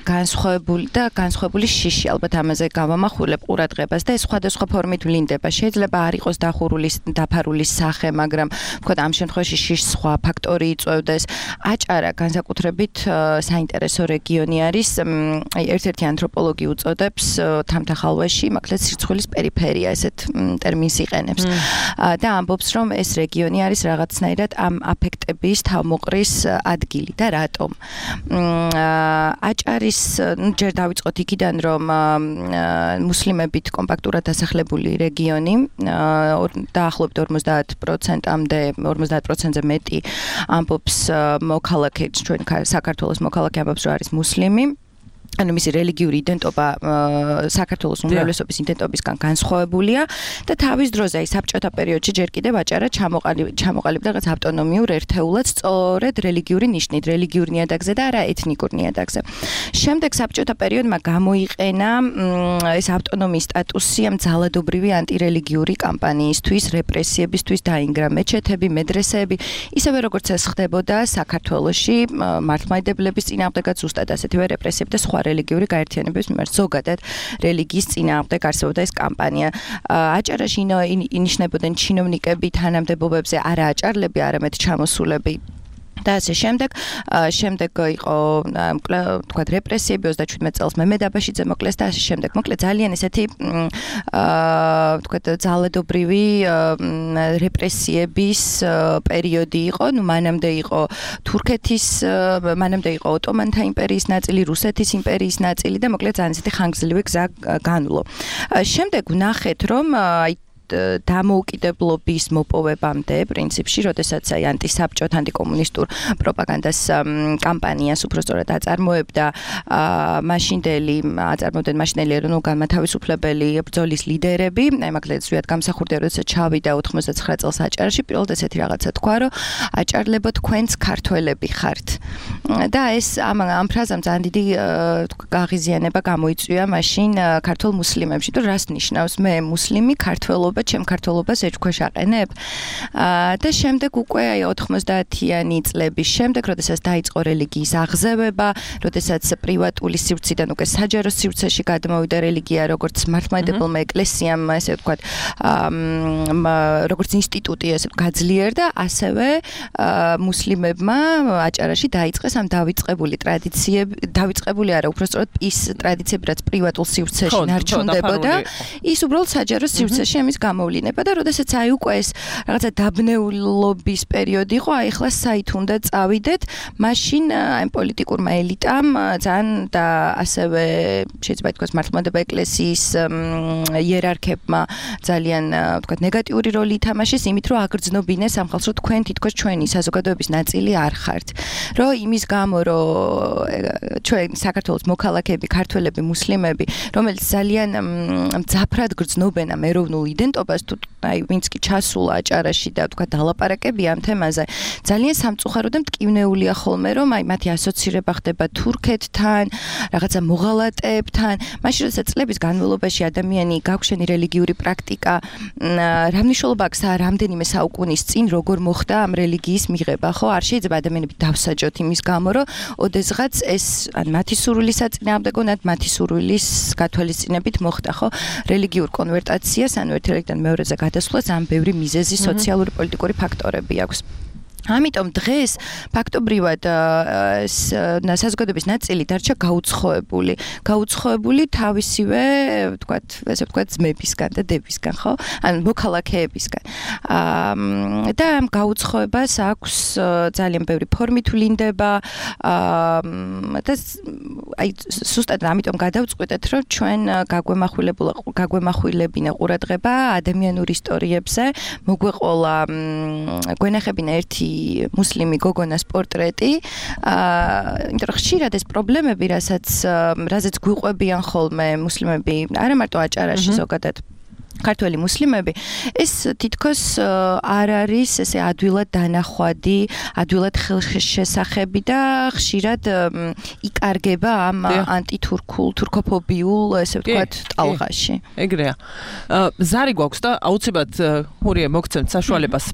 განსხვავებული შიში, ალბათ ამაზე გავამახვილებ ყურადღებას და ეს სხვადასხვა ფორმით ვლინდება. შეიძლება შეიძლება არ იყოს დაფარული სახე, მაგრამ ვთქვათ, ამ შემთხვევაში სხვა ფაქტორი იწვევდეს. აჭარა განსაკუთრებით საინტერესო რეგიონი არის. ერთ-ერთი ანთროპოლოგი უწოდებს თამთახალვაში, მაგალითად სირცხვილის პერიფერია ესეთ ტერმინს იყენებს. და ამბობს, რომ ეს რეგიონი არის რაღაცნაირად ამ აფექტების თავმოყრის ადგილი და რატომ. აჭარის ჯერ დავიწყოთ იქიდან, რომ მუსლიმებით კომპაქტურად დასახლებული რეგიონი, დაახლოებით 50%-ამდე, 50%-ზე მეტი ამბობს მოქალაქე, ჩვენ საქართველოს მოქალაქე ამბობს, რომ არის მუსლიმი. ანუ მისი რელიგიური იდენტობა საქართველოს უმრავლესობის იდენტობისგან განსხვავებულია და თავის დროზე აი საბჭოთა პერიოდში ჯერ კიდევ აჭარა ჩამოყალიბდა რაღაც ავტონომიურ ერთეულად სწორედ რელიგიური ნიშნით, რელიგიურ ნიადაგზე და არა ეთნიკურ ნიადაგზე. შემდეგ საბჭოთა პერიოდმა გამოიყენა ეს ავტონომიის სტატუსი ამ ძალადობრივი ანტირელიგიური კამპანიისთვის, რეპრესიებისთვის დაინგრა მეჩეთები, მედრესეები, ისევე როგორც ეს ხდებოდა საქართველოში მართლმადიდებლების წინააღმდეგაც ზუსტად ასეთივე რეპრესიები და სხვა რელიგიური გაერთიანებების მიმართ ზოგადად რელიგიის წინააღმდეგ არსებობდა ეს კამპანია. აჭარაში ინიშნებოდნენ ჩინოვნიკები თანამდებობებზე, არა აჭარლები, არამედ ჩამოსულები. და ასე შემდეგ იყო თქვა რეპრესიები 37 წელს მემედაბაშიძე მოკლეს და ასე შემდეგ. მოკლედ ძალიან ესეთი თქვა ძალადობრივი რეპრესიების პერიოდი იყო. ნუ მანამდე იყო თურქეთის, მანამდე იყო ოტომანთა იმპერიის ნაწილი, რუსეთის იმპერიის ნაწილი და მოკლედ ძალიან ესეთი ხანგრძლივი გზა განვლო. შემდეგ ვნახეთ, რომ დამოუკიდებლობის მოპოვებამდე პრინციპში, როდესაც აი ანტისაბჭოთა, ანტიკომუნისტურ პროპაგანდას კამპანიას უბრალოდ აწარმოებდა მაშინდელი ეროვნულ-განმათავისუფლებელი ბრძოლის ლიდერები, აი მაგალითად ზვიად გამსახურდია, როდესაც ჩავიდა 99 წელს აჭარაში, პირველად ესეთი რაღაცა თქვა, რომ აჭარლებო თქვენც ქართველები ხართ. და ეს ამ ფრაზამ ძალიან დიდი გაღიზიანება გამოიწვია მაშინ ქართულ მუსლიმებში, თუ რას ნიშნავს მე მუსლიმი ქართველობა ჩემ ქართულობას ეჭქვეშ აყენებ. და შემდეგ უკვე აი 90-იანი წლების შემდეგ, როდესაც დაიწყო რელიგიის აღზევება, როდესაც პრივატული სივრციდან უკვე საჯარო სივრცეში გადმოვიდა რელიგია, როგორც მართლმადიდებელმა ეკლესიამ, ესე ვთქვათ, როგორც ინსტიტუტი ესე გაძლიერდა, ასევე მუსლიმებმა აჭარაში დაიწყეს ამ დავიწყებული არა, უბრალოდ ის ტრადიციები, რაც პრივატულ სივრცეში ნარჩუნდებოდა, ის უბრალოდ საჯარო სივრცეში ამის გამოვლინება და როდესაც აი უკვე ეს რაღაცა დაბნეულობის პერიოდი იყო, აი ახლა საით უნდა წავიდეთ, მაშინ აი პოლიტიკურმა ელიტამ ძალიან და ასევე შეიძლება ითქვას მართლმადიდებლური ეკლესიის იერარქებმა ძალიან ვთქვათ ნეგატიური როლი ითამაშეს იმით, რომ აგრძნობინეს ამ ხალხს, რომ თქვენ თითქოს ჩვენი საზოგადოების ნაწილი არ ხართ. რომ იმის გამო, რომ ჩვენ საქართველოს მოქალაქეები, ქართველები, მუსლიმები, რომელიც ძალიან მძაფრად გრძნობენ ამ ეროვნულ იდენტობას, თუ აი ვინც კი ჩასულა აჭარაში და თქვა დალაპარაკებია ამ თემაზე, ძალიან სამწუხარო და მტკივნეულია ხოლმე, რომ აი მათი ასოცირება ხდება თურქეთთან, რაღაცა მოღალატეებთან. მაშინ როდესაც წლების განმავლობაში ადამიანი გაგვშენი რელიგიური პრაქტიკა, რა მნიშვნელობა აქვს რამდენიმე საუკუნის წინ როგორ მოხდა ამ რელიგიის მიღება, ხო? არ შეიძლება ადამიანები დავსაჯოთ იმის გამო, რომ ოდესღაც ეს ან მათი სურვილის საწინააღმდეგო, ან მათი სურვილის გათვალისწინებით მოხდა, ხო? რელიგიურ კონვერტაციას, ანუ ერთ რელიგიიდან მეორეზე გადასვლას ამ ბევრი მიზეზი, სოციალური, პოლიტიკური ფაქტორები აქვს. ამიტომ დღეს ფაქტობრივად საზოგადოების ნაწილი დარჩა გაუცხოებული თავისივე, ვთქვათ, ესე ვთქვათ, ძმებისგან და დებისგან, ხო? ან მოქალაქეებისგან. და ამ გაუცხოებას აქვს ძალიან ბევრი ფორმით ვლინდება და აი ზუსტად ამიტომ გადავწყვიტეთ, რომ ჩვენ გაგვემახვილებინა ყურადღება ადამიანურ ისტორიებზე, მოგვეყოლა გვენახებინა ერთი მუსლიმი გოგონას პორტრეტი, იმიტომ რომ ხშირად ეს პრობლემები, რაზეც გვიყვებიან ხოლმე მუსლიმები, არა მარტო აჭარაში ზოგადად ქართველი მუსლიმები, ეს თითქოს არ არის ესე ადვილად დანახვადი, ადვილად ხელშესახები და ხშირად იკარგება ამ ანტითურქულ, თურქოფობიულ, ესე ვთქვათ, ტალღაში. ეგრეა. ზარი გვაქვს და აუცილებლად ხურიე მოგცემთ საშუალებას,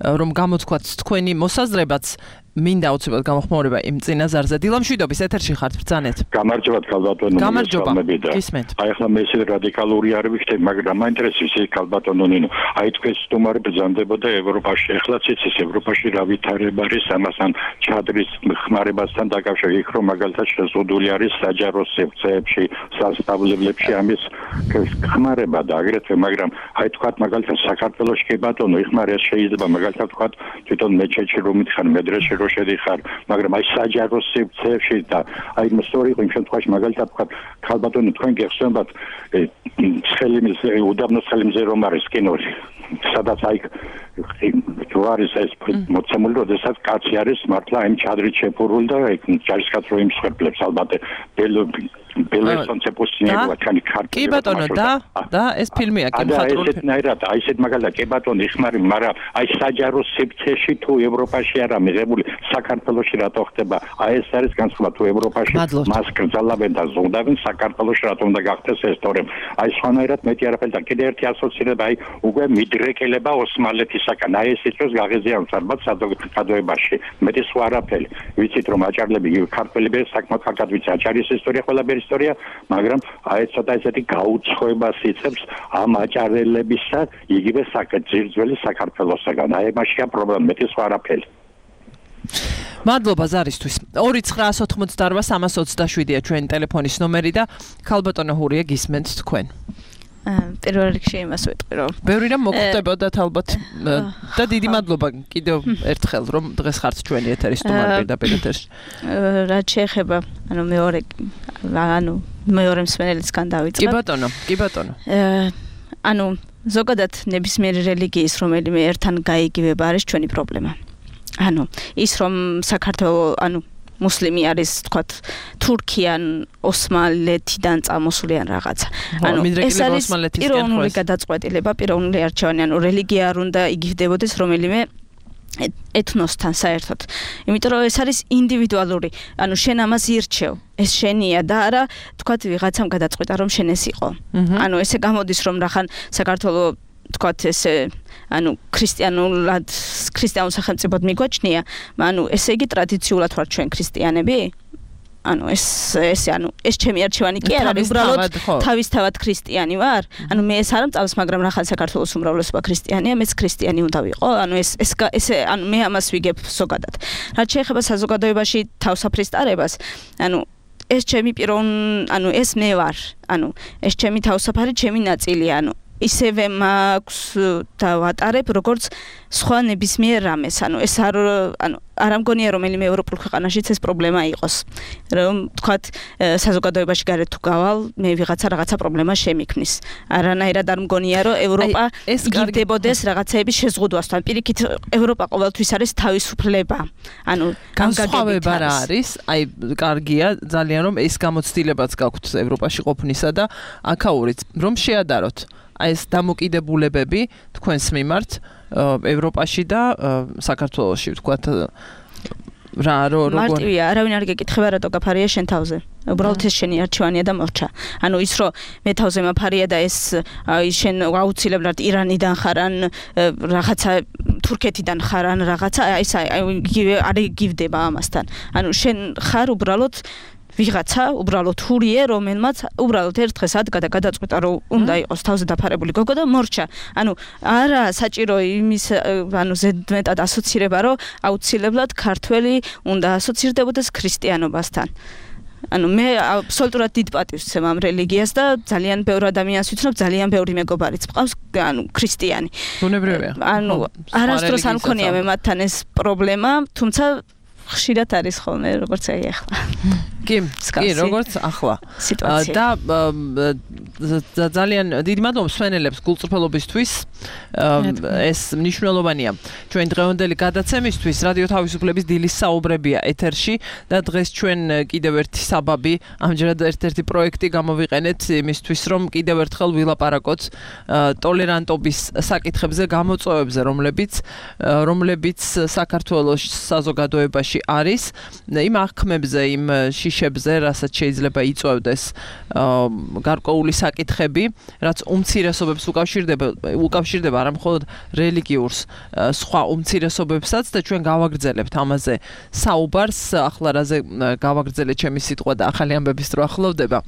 რომ გამოთქვათ თქვენი მოსაზრებაც. მინდა უცებად გამოხმაურება იმ წინაზარზე. დილა მშვიდობის ეთერში ხართ ბრძანეთ. გამარჯობა ქალბატონო. გამარჯობა. გისმენთ. აი ახლა მე ისე რადიკალური არ ვიქნები, მაგრამ მაინტერესებს ის ქალბატონო ნინო. აი თქვენ სტუმარი ბრძანდებოდა ევროპაში. ეხლაც იცის ევროპაში რა ვითარება არის ამასთან ჩადრის ხმარებასთან დაკავშირებით, იქ რომ მაგალითად შეზღუდული არის საჯარო სივრცეებში, სასწავლებლებში ამის ხმარება და აგრეთვე, მაგრამ აი თქვათ მაგალითად საქართველოში კი ბატონო, იხმარება შეიძლება მაგალითად თქვათ თვითონ მეჩეთში რომ მითხარ, მედრესეში რომ შედიხარ, მაგრამ აი საჯარო სივრცეებში და აი მოსწორი იმ შემთხვევაში მაგალითად თქვათ ქალბატონო თქვენ გეხსენებათ ცხელიმზე უდაბნოს ცხელიმზე რომ არის კინოში სადაც აი თუ არის ეს მოცემული, როდესაც კაცი არის მართლა იმ ჩადრით შეფურული და ჯარისკაც რო იმსხვერპლებს ალბათ ბელესონ ცეპოსინევა თქვენი ქარტი. კი ბატონო და ეს ფილმია კი მხატვრული. აი ესეთ მაგალითად კი ბატონო იხმარი, მაგრამ აი საჯარო სივრცეში თუ ევროპაში არა მიღებული, საქართველოში რატო ხდება? აი ეს არის განსხვავება თუ ევროპაში მას კრძალავენ და ზღუდავენ, საქართველოში რატომ უნდა გახდეს ეს თორემ აი სხვანაირად მეტი არაფერი და კიდე ერთი ასოცირება აი უკვე მიდრეკილება ოსმალეთისაგან. აი ეს ის გაღიზიანებს ალბათ საზოგადოებაში. მეტი სხვა არაფერი. ვიცით რომ აჭარლები ქართველები საკმაოდ კარგად ვიცი აჭარის ისტორია ყველაფერი ისტორია, მაგრამ აი ცოტა ესეთი გაუცხოებას იწევს ამ აჭარელებისა იგივე ძირძველი საქართველოსაგან. აი მაშია პრობლემა, მეტი სხვა არაფერი. მადლობა ზარისთვის. 2-988-327-ია ჩვენი ტელეფონის ნომერი და ქალბატონო ჰურია გისმენთ თქვენ. პირველ რიგში იმას ვიტყვი, რომ ბევრი რამ მოგხვდებოდათ ალბათ და დიდი მადლობა კიდევ ერთხელ რომ დღეს ხართ ჩვენი ეთერის სტუმარი პირდაპირ ეთერში. რაც შეეხება მეორე მსმენელისგან დავიწყებ. კი ბატონო. ზოგადად ნებისმიერი რელიგიის რომელიმე ერთთან გაიგივება არის ჩვენი პრობლემა. ის რომ საქართველოს მუსლიმი არის თქვათ თურქიან ოსმალეთიდან წამოსული ან რაღაცა. ეს არის პიროვნული გადაწყვეტილება, პიროვნული არჩევანი, რელიგია არ უნდა იგივდებოდეს რომელიმე ეთნოსთან საერთოდ. იმიტომ რომ ეს არის ინდივიდუალური. შენ ამას ირჩევ. ეს შენია და არა თქვათ ვიღაცამ გადაწყვეტა რომ შენ ეს იყო. ესე გამოდის რომ რახან საქართველოს თქვათ ესე ქრისტიანულ სახელმწიფოდ მიგვაჩნია, ესე იგი ტრადიციულად ვართ ჩვენ ქრისტიანები? ეს ჩემი არჩევანი კი არა, უბრალოდ თავისთავად ქრისტიანი ვარ. მე ეს არ მწავს, მაგრამ რახან საქართველოს უმრავლესობა ქრისტიანია, მეც ქრისტიანი უნდა ვიყო. მე ამას ვიგებ ზოგადად. რაც შეეხება საზოგადოებაში თავსაფრის ტარებას, ეს ჩემი ეს მე ვარ. ეს ჩემი თავსაფარი, ჩემი ნაწილია. ისევე მაქვს და ვატარებ როგორც სხვა ნებისმიერ რამეს. ეს არ მგონია რომელიმე ევროპულ ქვეყანაშიც ეს პრობლემა იყოს. რომ თქვათ საზოგადოებაში გარეთ თუ გავალ, მე რაღაცა პრობლემა შემიქმნის. არანაირად არ მგონია რომ ევროპა იგივდებოდეს რაღაცეების შეზღუდვასთან. პირიქით ევროპა ყოველთვის არის თავისუფლება. განსხვავება რა არის? აი კარგია ძალიან რომ ეს გამოცდილებაც გაქვთ ევროპაში ყოფნისა და აქაურიც რომ შეადაროთ აი ეს დამოკიდებულებები თქვენს მიმართ ევროპაში და საქართველოში ვთქვათ მარტივია, არავინ არ გეკითხება რატო გაფარია შენ თავზე. უბრალოდ ეს შენი არჩევანია და მორჩა. ის რომ მე თავზე მაფარია და ეს შენ აუცილებლად ირანიდან ხარ ან რაღაცა თურქეთიდან ხარ ან რაღაცა ეს არ იგივდება ამასთან. შენ ხარ უბრალოდ ვიღაცა უბრალოდ ჰურიე, რომელმაც უბრალოდ ერთ დღეს ადგა და გადაწყვეტა, რომ უნდა იყოს თავზე დაფარებული გოგო და მორჩა. არა საჭირო იმის ზედმეტად ასოცირება, რომ აუცილებლად ქართველი უნდა ასოცირდებოდეს ქრისტიანობასთან. მე აბსოლუტურად დიდ პატივს ვცემ ამ რელიგიას და ძალიან ბევრ ადამიანს ვიცნობ, ძალიან ბევრი მეგობარიც მყავს, ქრისტიანი. ბუნებრივია. არასდროს არ მქონია მე მათთან ეს პრობლემა, თუმცა ხშირად არის ხოლმე როგორც აი ახლა. კი, როგორც ახლა. და ძალიან დიდი მადლობა მსმენელებს გულწრფელობისთვის. ეს მნიშვნელოვანია ჩვენ დღევანდელი გადაცემისთვის. რადიო თავისუფლების დილის საუბრებია ეთერში და დღეს ჩვენ კიდევ ერთი საბაბი, ამჯერად ერთ-ერთი პროექტი გამოვიყენეთ იმისთვის, რომ კიდევ ერთხელ ვილაპარაკოთ ტოლერანტობის საკითხებზე, გამოწვევებზე, რომლებიც საქართველოს საზოგადოებაში არის, იმ აღქმებზე, იმ ნიშებზე, რასაც შეიძლება იწვევდეს გარკვეული საკითხები, რაც უმცირესობებს უკავშირდება არა მხოლოდ რელიგიურს, სხვა უმცირესობებსაც და ჩვენ გავაგრძელებთ ამაზე საუბარს, ახლა რაზე გავაგრძელე ჩემი სიტყვა და ახალი ამბების დრო ახლოვდება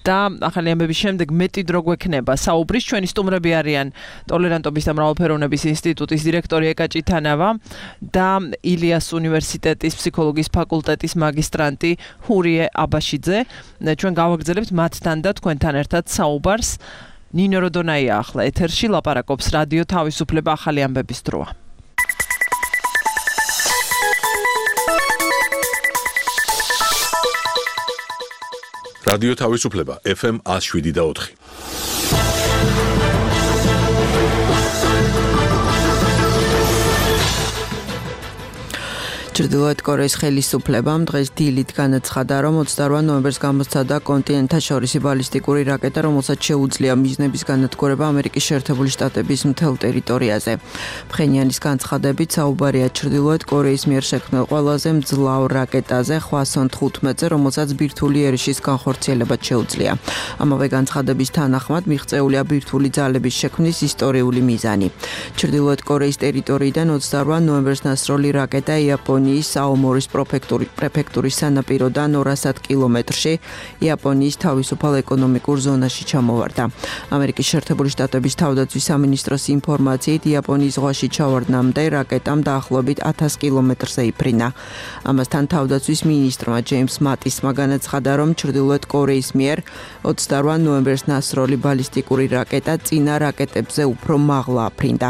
და ახალი ამბების შემდეგ მეტი დრო გვექნება საუბრის. ჩვენი სტუმრები არიან ტოლერანტობის და მრავალფეროვნების ინსტიტუტის დირექტორი ეკა ჭითანავა და ილიას უნივერსიტეტის ფსიქოლოგიის ფაკულტეტის მაგისტრანტი ჰურიე აბაშიძე. ჩვენ გავაგრძელებთ მათთან და თქვენთან ერთად საუბარს. ნინო როდონაია ახლა ეთერში ლაპარაკობს რადიო თავისუფლება ახალი ამბების დროა. რადიო თავისუფლება FM 107.4. ჩრდილოეთ კორეის ხელისუფლებამ დღეს დილით განაცხადა, რომ 28 ნოემბერს გამოსცადა კონტინენტთაშორისი ბალისტიკური რაკეტა, რომელსაც შეუძლია მიზნების განადგურება ამერიკის შეერთებული შტატების მთელ ტერიტორიაზე. ფხენიანის განცხადებით საუბარია ჩრდილოეთ კორეის მიერ შექმნილ ყველაზე მძლავრ რაკეტაზე Hwasong 15-ზე, რომელსაც ბირთვული ერიშის განხორციელებაც შეუძლია. ამავე განცხადების თანახმად მიღწეულია ბირთვული ძალების შექმნის ისტორიული მიზანი. ჩრდილოეთ კორეის ტერიტორიიდან 28 ნოემბერს ნასროლი რაკეტა იაპონიის აომორის პრეფექტურის სანაპიროდან 200 კილომეტრში იაპონიის თავისუფალ ეკონომიკურ ზონაში ჩამოვარდა. ამერიკის შეერთებული შტატების თავდაცვის სამინისტროს ინფორმაციით იაპონიის ზღვაში ჩავარდნამდე რაკეტამ დაახლოებით 1000 კილომეტრზე იფრინა. ამასთან თავდაცვის მინისტრმა ჯეიმს მატისმა განაცხადა, რომ ჩრდილოეთ კორეის მიერ 28 ნოემბერს ნასროლი ბალისტიკური რაკეტა წინა რაკეტებზე უფრო მაღლა აფრინდა.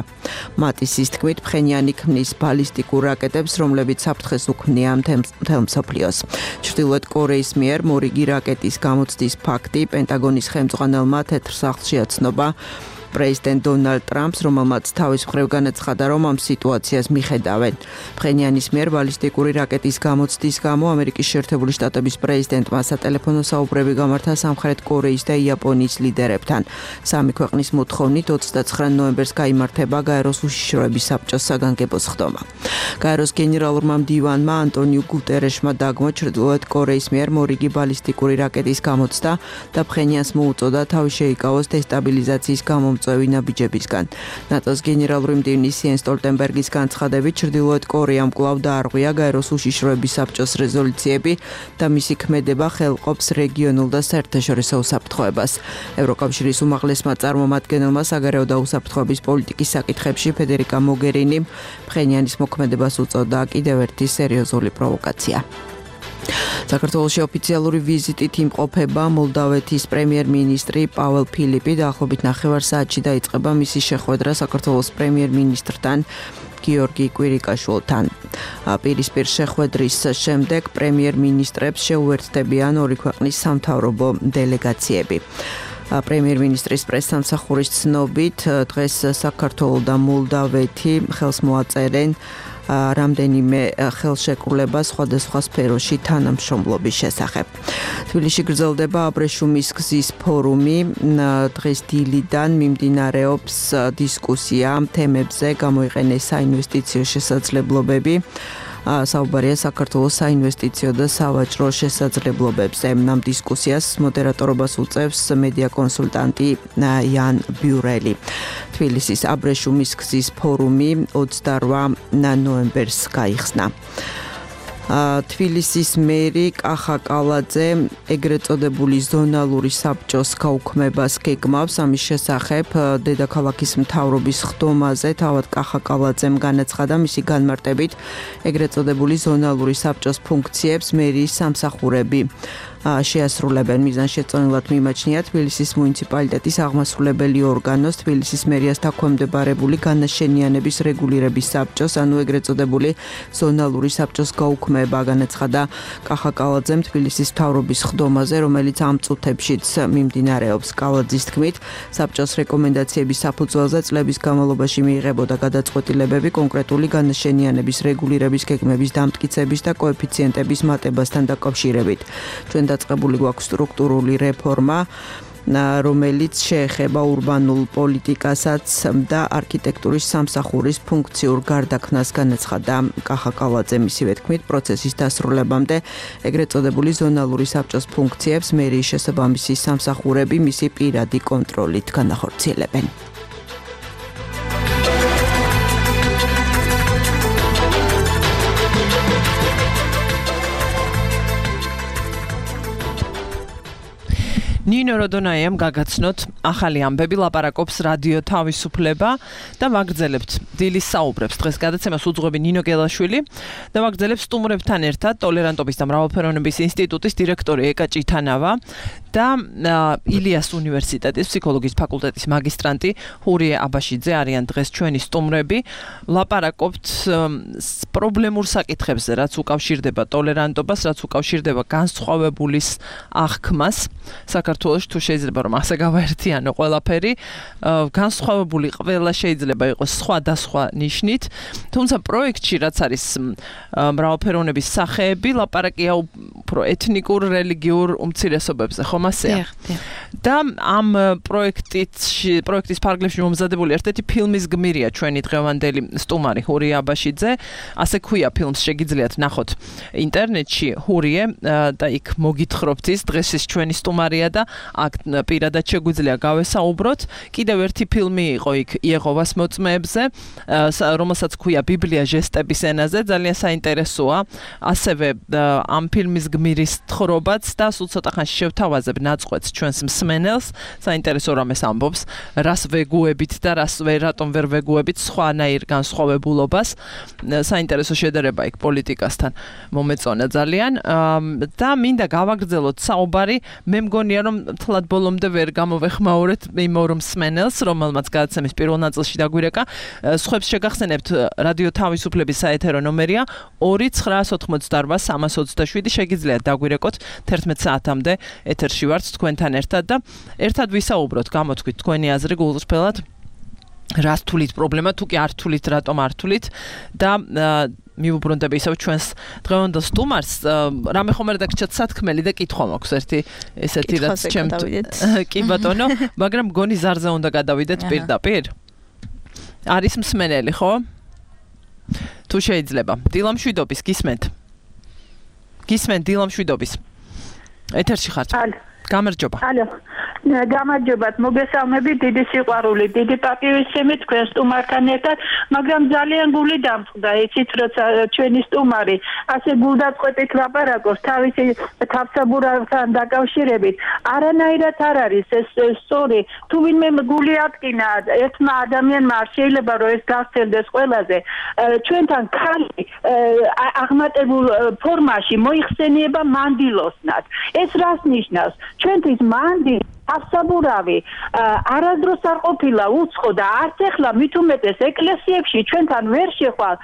მატისის თქმით, ფხენიანი ქმნის ბალისტიკურ რაკეტებს, რომლებიც საფრთხეს უქმნია მთელ მსოფლიოს. ჩრდილოეთ კორეის მიერ მორიგი რაკეტის გამოცდის ფაქტი პენტაგონის ხელმძღვანელმა თეთრ სახლში აცნობა პრეზიდენტ დონალდ ტრამპს, რომელმაც თავის მხრივ განაცხადა, რომ ამ სიტუაციას მიხედავენ. ფხენიანის მიერ ბალისტიკური რაკეტის გამოცდის გამო ამერიკის შეერთებული შტატების პრეზიდენტმა სატელეფონო საუბრები გამართა სამხრეთ კორეის და იაპონიის ლიდერებთან. სამი ქვეყნის მოთხოვნით 29 ნოემბერს გაიმართება გაეროს უშიშროების საბჭოს საგანგებო სხდომა. გაეროს გენერალურმა მდივანმა ანტონიუ გუტერეშმა დაგმო ჩრდილოეთ კორეის მიერ მორიგი ბალისტიკური რაკეტის გამოცდა და ფხენიანს მოუწოდა თავი შეიკავოს დესტაბილიზაციის წევი ნაბიჯებისგან. ნატოს გენერალური მდივნის იენს სტოლტენბერგის განცხადებით ჩრდილოეთ კორეამ კვლავ დაარღვია გაეროს უშიშროების საბჭოს რეზოლუციები და მისი ქმედება ხელყოფს რეგიონულ და საერთაშორისო უსაფრთხოებას. ევროკავშირის უმაღლესმა წარმომადგენელმა საგარეო და უსაფრთხოების პოლიტიკის საკითხებში ფედერიკა მოგერინიმ ფხენიანის მოქმედებას უწოდა კიდევ ერთი სერიოზული პროვოკაცია. საქართველოში ოფიციალური ვიზიტით იმყოფება მოლდავეთის პრემიერ-მინისტრი პაველ ფილიპი. დაახლოებით 9 საათში დაიწყება მისი შეხვედრა საქართველოს პრემიერ-მინისტრთან გიორგი კვირიკაშვილთან. პირისპირ შეხვედრის შემდეგ პრემიერ-მინისტრებს შეუერთდებიან ორი ქვეყნის სამთავრობო დელეგაციები. პრემიერ-მინისტრის პრესსამსახურის ცნობით დღეს საქართველო და მოლდავეთი ხელს მოაწერენ რამდენიმე ხელშეკრულება სხვადასხვა სფეროში თანამშრომლობის შესახებ. თბილისში გრძელდება აბრეშუმის გზის ფორუმი. დღეს დილიდან მიმდინარეობს დისკუსია თემებზე, გამოიყენეს საინვესტიციო შესაძლებლობები. საუბარია საქართველოს საინვესტიციო და სავაჭრო შესაძლებლობებზე. ამ დისკუსიას მოდერატორობას უწევს მედია კონსულტანტი იან ბიურელი. თბილისის აბრეშუმის გზის ფორუმი 28 ნოემბერს გაიხსნა. თბილისის მერი კახა კალაძე ეგრეთ წოდებული ზონალური საბჭოს გაუქმებას გეგმავს. ამის შესახებ დედაქალაქის მთავრობის ხდომაზე თავად კახა კალაძემ განაცხადა, მისი განმარტებით ეგრეთ წოდებული ზონალური საბჭოს ფუნქციებს მერიის სამსახურები შეასრულებენ. მიზანშეწონილად მიმაჩნია თბილისის მუნიციპალიტეტის აღმასრულებელი ორგანოს თბილისის მერიას დაქვემდებარებული განაშენიანების რეგულირების საბჭოს, ანუ ეგრეთ წოდებული ზონალური საბჭოს გაუქმება, განაცხადა კახა კალაძემ თბილისის მთავრობის ხდომაზე, რომელიც ამ წუთებშიც მიმდინარეობს. კალაძის თქმით, საბჭოს რეკომენდაციების საფუძველზე წლების განმავლობაში მიიღებოდა გადაწყვეტილებები კონკრეტული განაშენიანების რეგულირების გეგმების დამტკიცების და კოეფიციენტების მატებასთან დაკავშირებით. დაწყებული გვაქვს სტრუქტურული რეფორმა რომელიც შეეხება ურბანულ პოლიტიკასაც და არქიტექტურის სამსახურის ფუნქციურ გარდაქმნას განაცხადა კახა კალაძე. მისივე თქმით, პროცესის დასრულებამდე ეგრეთ წოდებული ზონალური საბჭოს ფუნქციებს მერიის შესაბამისი სამსახურები მისი პირადი კონტროლით განახორციელებენ. ნინო როდონაიამ გაგაცნოთ ახალი ამბები, ლაპარაკობს რადიო თავისუფლება და ვაგრძელებთ დილის საუბრებს. დღეს გადაცემას უძღვები ნინო გელაშვილი და ვაგრძელებთ სტუმრებთან ერთად ტოლერანტობის და მრავალფეროვნების ინსტიტუტის დირექტორი ეკა ჭითანავა და ილიას უნივერსიტეტის ფსიქოლოგიის ფაკულტეტის მაგისტრანტი ჰურიე აბაშიძე არიან დღეს ჩვენი სტუმრები. ლაპარაკობთ პრობლემურ საკითხებზე, რაც უკავშირდება ტოლერანტობას, რაც უკავშირდება განსხვავებულის აღქმას. საქართველოში თუ შეიძლება რომ ასე გავაერთიანო ყველაფერი, განსხვავებული ყველა შეიძლება იყოს სხვადასხვა ნიშნით, თუმცა პროექტში რაც არის მრავალფეროვნების სახეები, ლაპარაკია უფრო ეთნიკურ, რელიგიურ უმცირესობებზე, ხომ ასეა? და ამ პროექტის ფარგლებში მომზადებული ერთ-ერთი ფილმის გმირია ჩვენი დღევანდელი სტუმარი ჰურიე აბაშიძე. ასე ქვია ფილმს, შეგიძლიათ ნახოთ ინტერნეტში ჰურიე და იქ მოგითხრობთ ის დღეს ის ჩვენი სტუმარია და აქ პირადად შეგვიძლია გავესაუბროთ. კიდევ ერთი ფილმი იყო იქ იეჰოვას მოწმეებზე, რომელსაც ქვია ბიბლია ჟესტების ენაზე, ძალიან საინტერესოა. ასევე ამ ფილმის გმირის თხრობაც და სულ ცოტა ხანში შევთავაზებ ნაწყვეტს ჩვენს მსმენელს. საინტერესო რამეს ამბობს, რას ვეგუებით და რატომ ვერ ვეგუებით სხვანაირ განსხვავებულობას. საინტერესო შედარება იქ პოლიტიკასთან მომეწონა ძალიან და მინდა გავაგრძელოთ საუბარი. მე მგონია რომ თლად ბოლომდე ვერ გამოვეხმაურეთ იმ ორ მსმენელს, რომელმაც გადაცემის პირველ ნაწილში დაგვირეკა. სხვებს შეგახსენებთ რადიო თავისუფლების საეთერო ნომერია 2988327. შეგიძლიათ დაგვირეკოთ 11 საათამდე ეთერში ვართ თქვენთან ერთად და ერთად ვისაუბროთ, გამოთქვით თქვენი აზრი გულწრფელად. რას თulit პრობლემა, თუ კი არ თulit, რატომ არ თulit და მივუბრუნდები ისევ ჩვენს დღევანდელ სტუმარს. რამე ხომ რედაქციად სათქმელი და კითხვა მაქვს ერთი ესეთი რაც ჩემთ კი ბატონო, მაგრამ გონი ზარზე უნდა გადავიდეთ პირდაპირ. არის მსმენელი, ხო? თუ შეიძლება. დილამშვიდობის გისმენთ. გისმენთ დილამშვიდობის. ეთერში ხართ. გამარჯობა. ალო. გამარჯობათ, მოგესალმებით, დიდი სიყვარული, დიდი პატივისცემი თქვენ სტუმართან ერთად, მაგრამ ძალიან გული დამწყდა, იცით, როცა ჩვენი სტუმარი ასე გულდაწყვეტით ლაპარაკობს თავისი თავსაბურავთან დაკავშირებით, არანაირად არ არის ეს სწორი. თუ ვინმე გული ატკინა ერთმა ადამიანმა არ შეიძლება რომ ეს გასცელდეს ყველაზე. ჩვენთან ხალი აღმატებულ ფორმაში მოიხსენიება მანდილოსნად. ეს რას ნიშნავს? ჩვენთვის მანდი ავსაბურავი არასდროს არ ყოფილა უცხო და არც ეხლა მით უმეტეს ეკლესიებში ჩვენთან ვერ შეხვალ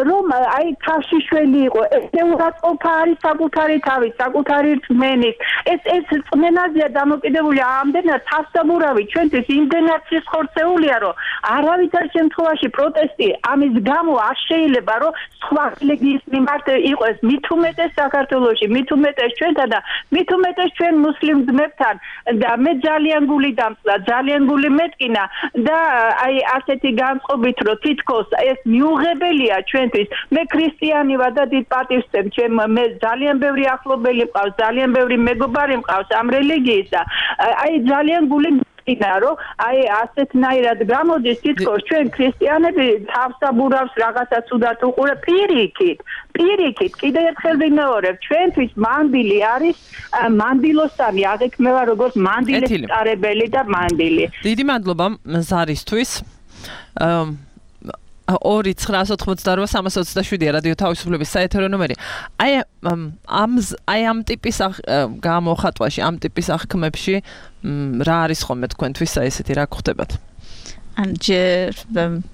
რომ აი თავშიშველი იყო ესე უღაწყობა არის საკუთარი თავის საკუთარი რწმენის ეს რწმენაზეა დამოკიდებული ამდენად თავსაბურავი ჩვენთვის იმდენად სიხორცეულია რომ არავითარ შემთხვევაში პროტესტი ამის გამო არ შეიძლება რომ სხვა რელიგიის მიმართ იყოს მით უმეტეს საქართველოში მით უმეტეს ჩვენთან და მით უმეტეს ჩვენ მუსლიმ ძმებთან და ძალიან გული დამწყდა, ძალიან გული მეტკინა და აი ასეთი განწყობით რომ თითქოს ეს მიუღებელია ჩვენთვის. მე ქრისტიანი ვარ და დიდ პატივს ვცემ ჩემ მე ძალიან ბევრი ახლობელი მყავს, ძალიან ბევრი მეგობარი მყავს ამ რელიგიის და აი ძალიან გული მეტკინა რომ აი ასეთნაირად გამოდის თითქოს ჩვენ ქრისტიანები თავსაბურავს რაღაცას უდათ უყურებ პირიქით კიდევ ერთხელ ვიმეორებ ჩვენთვის მანდილი არის მანდილოსანი აღიქმება როგორც მანდილის წარებელი და მანდილი. დიდი მადლობა ზარისთვის. 2988327 რადიო თავისუფლების საეთერო ნომერი. აი ამ ტიპის გამოხატვაში, ამ ტიპის აღქმებში რა არის ხოლმე თქვენთვის ესეთი რა გხვდებათ? ჯერ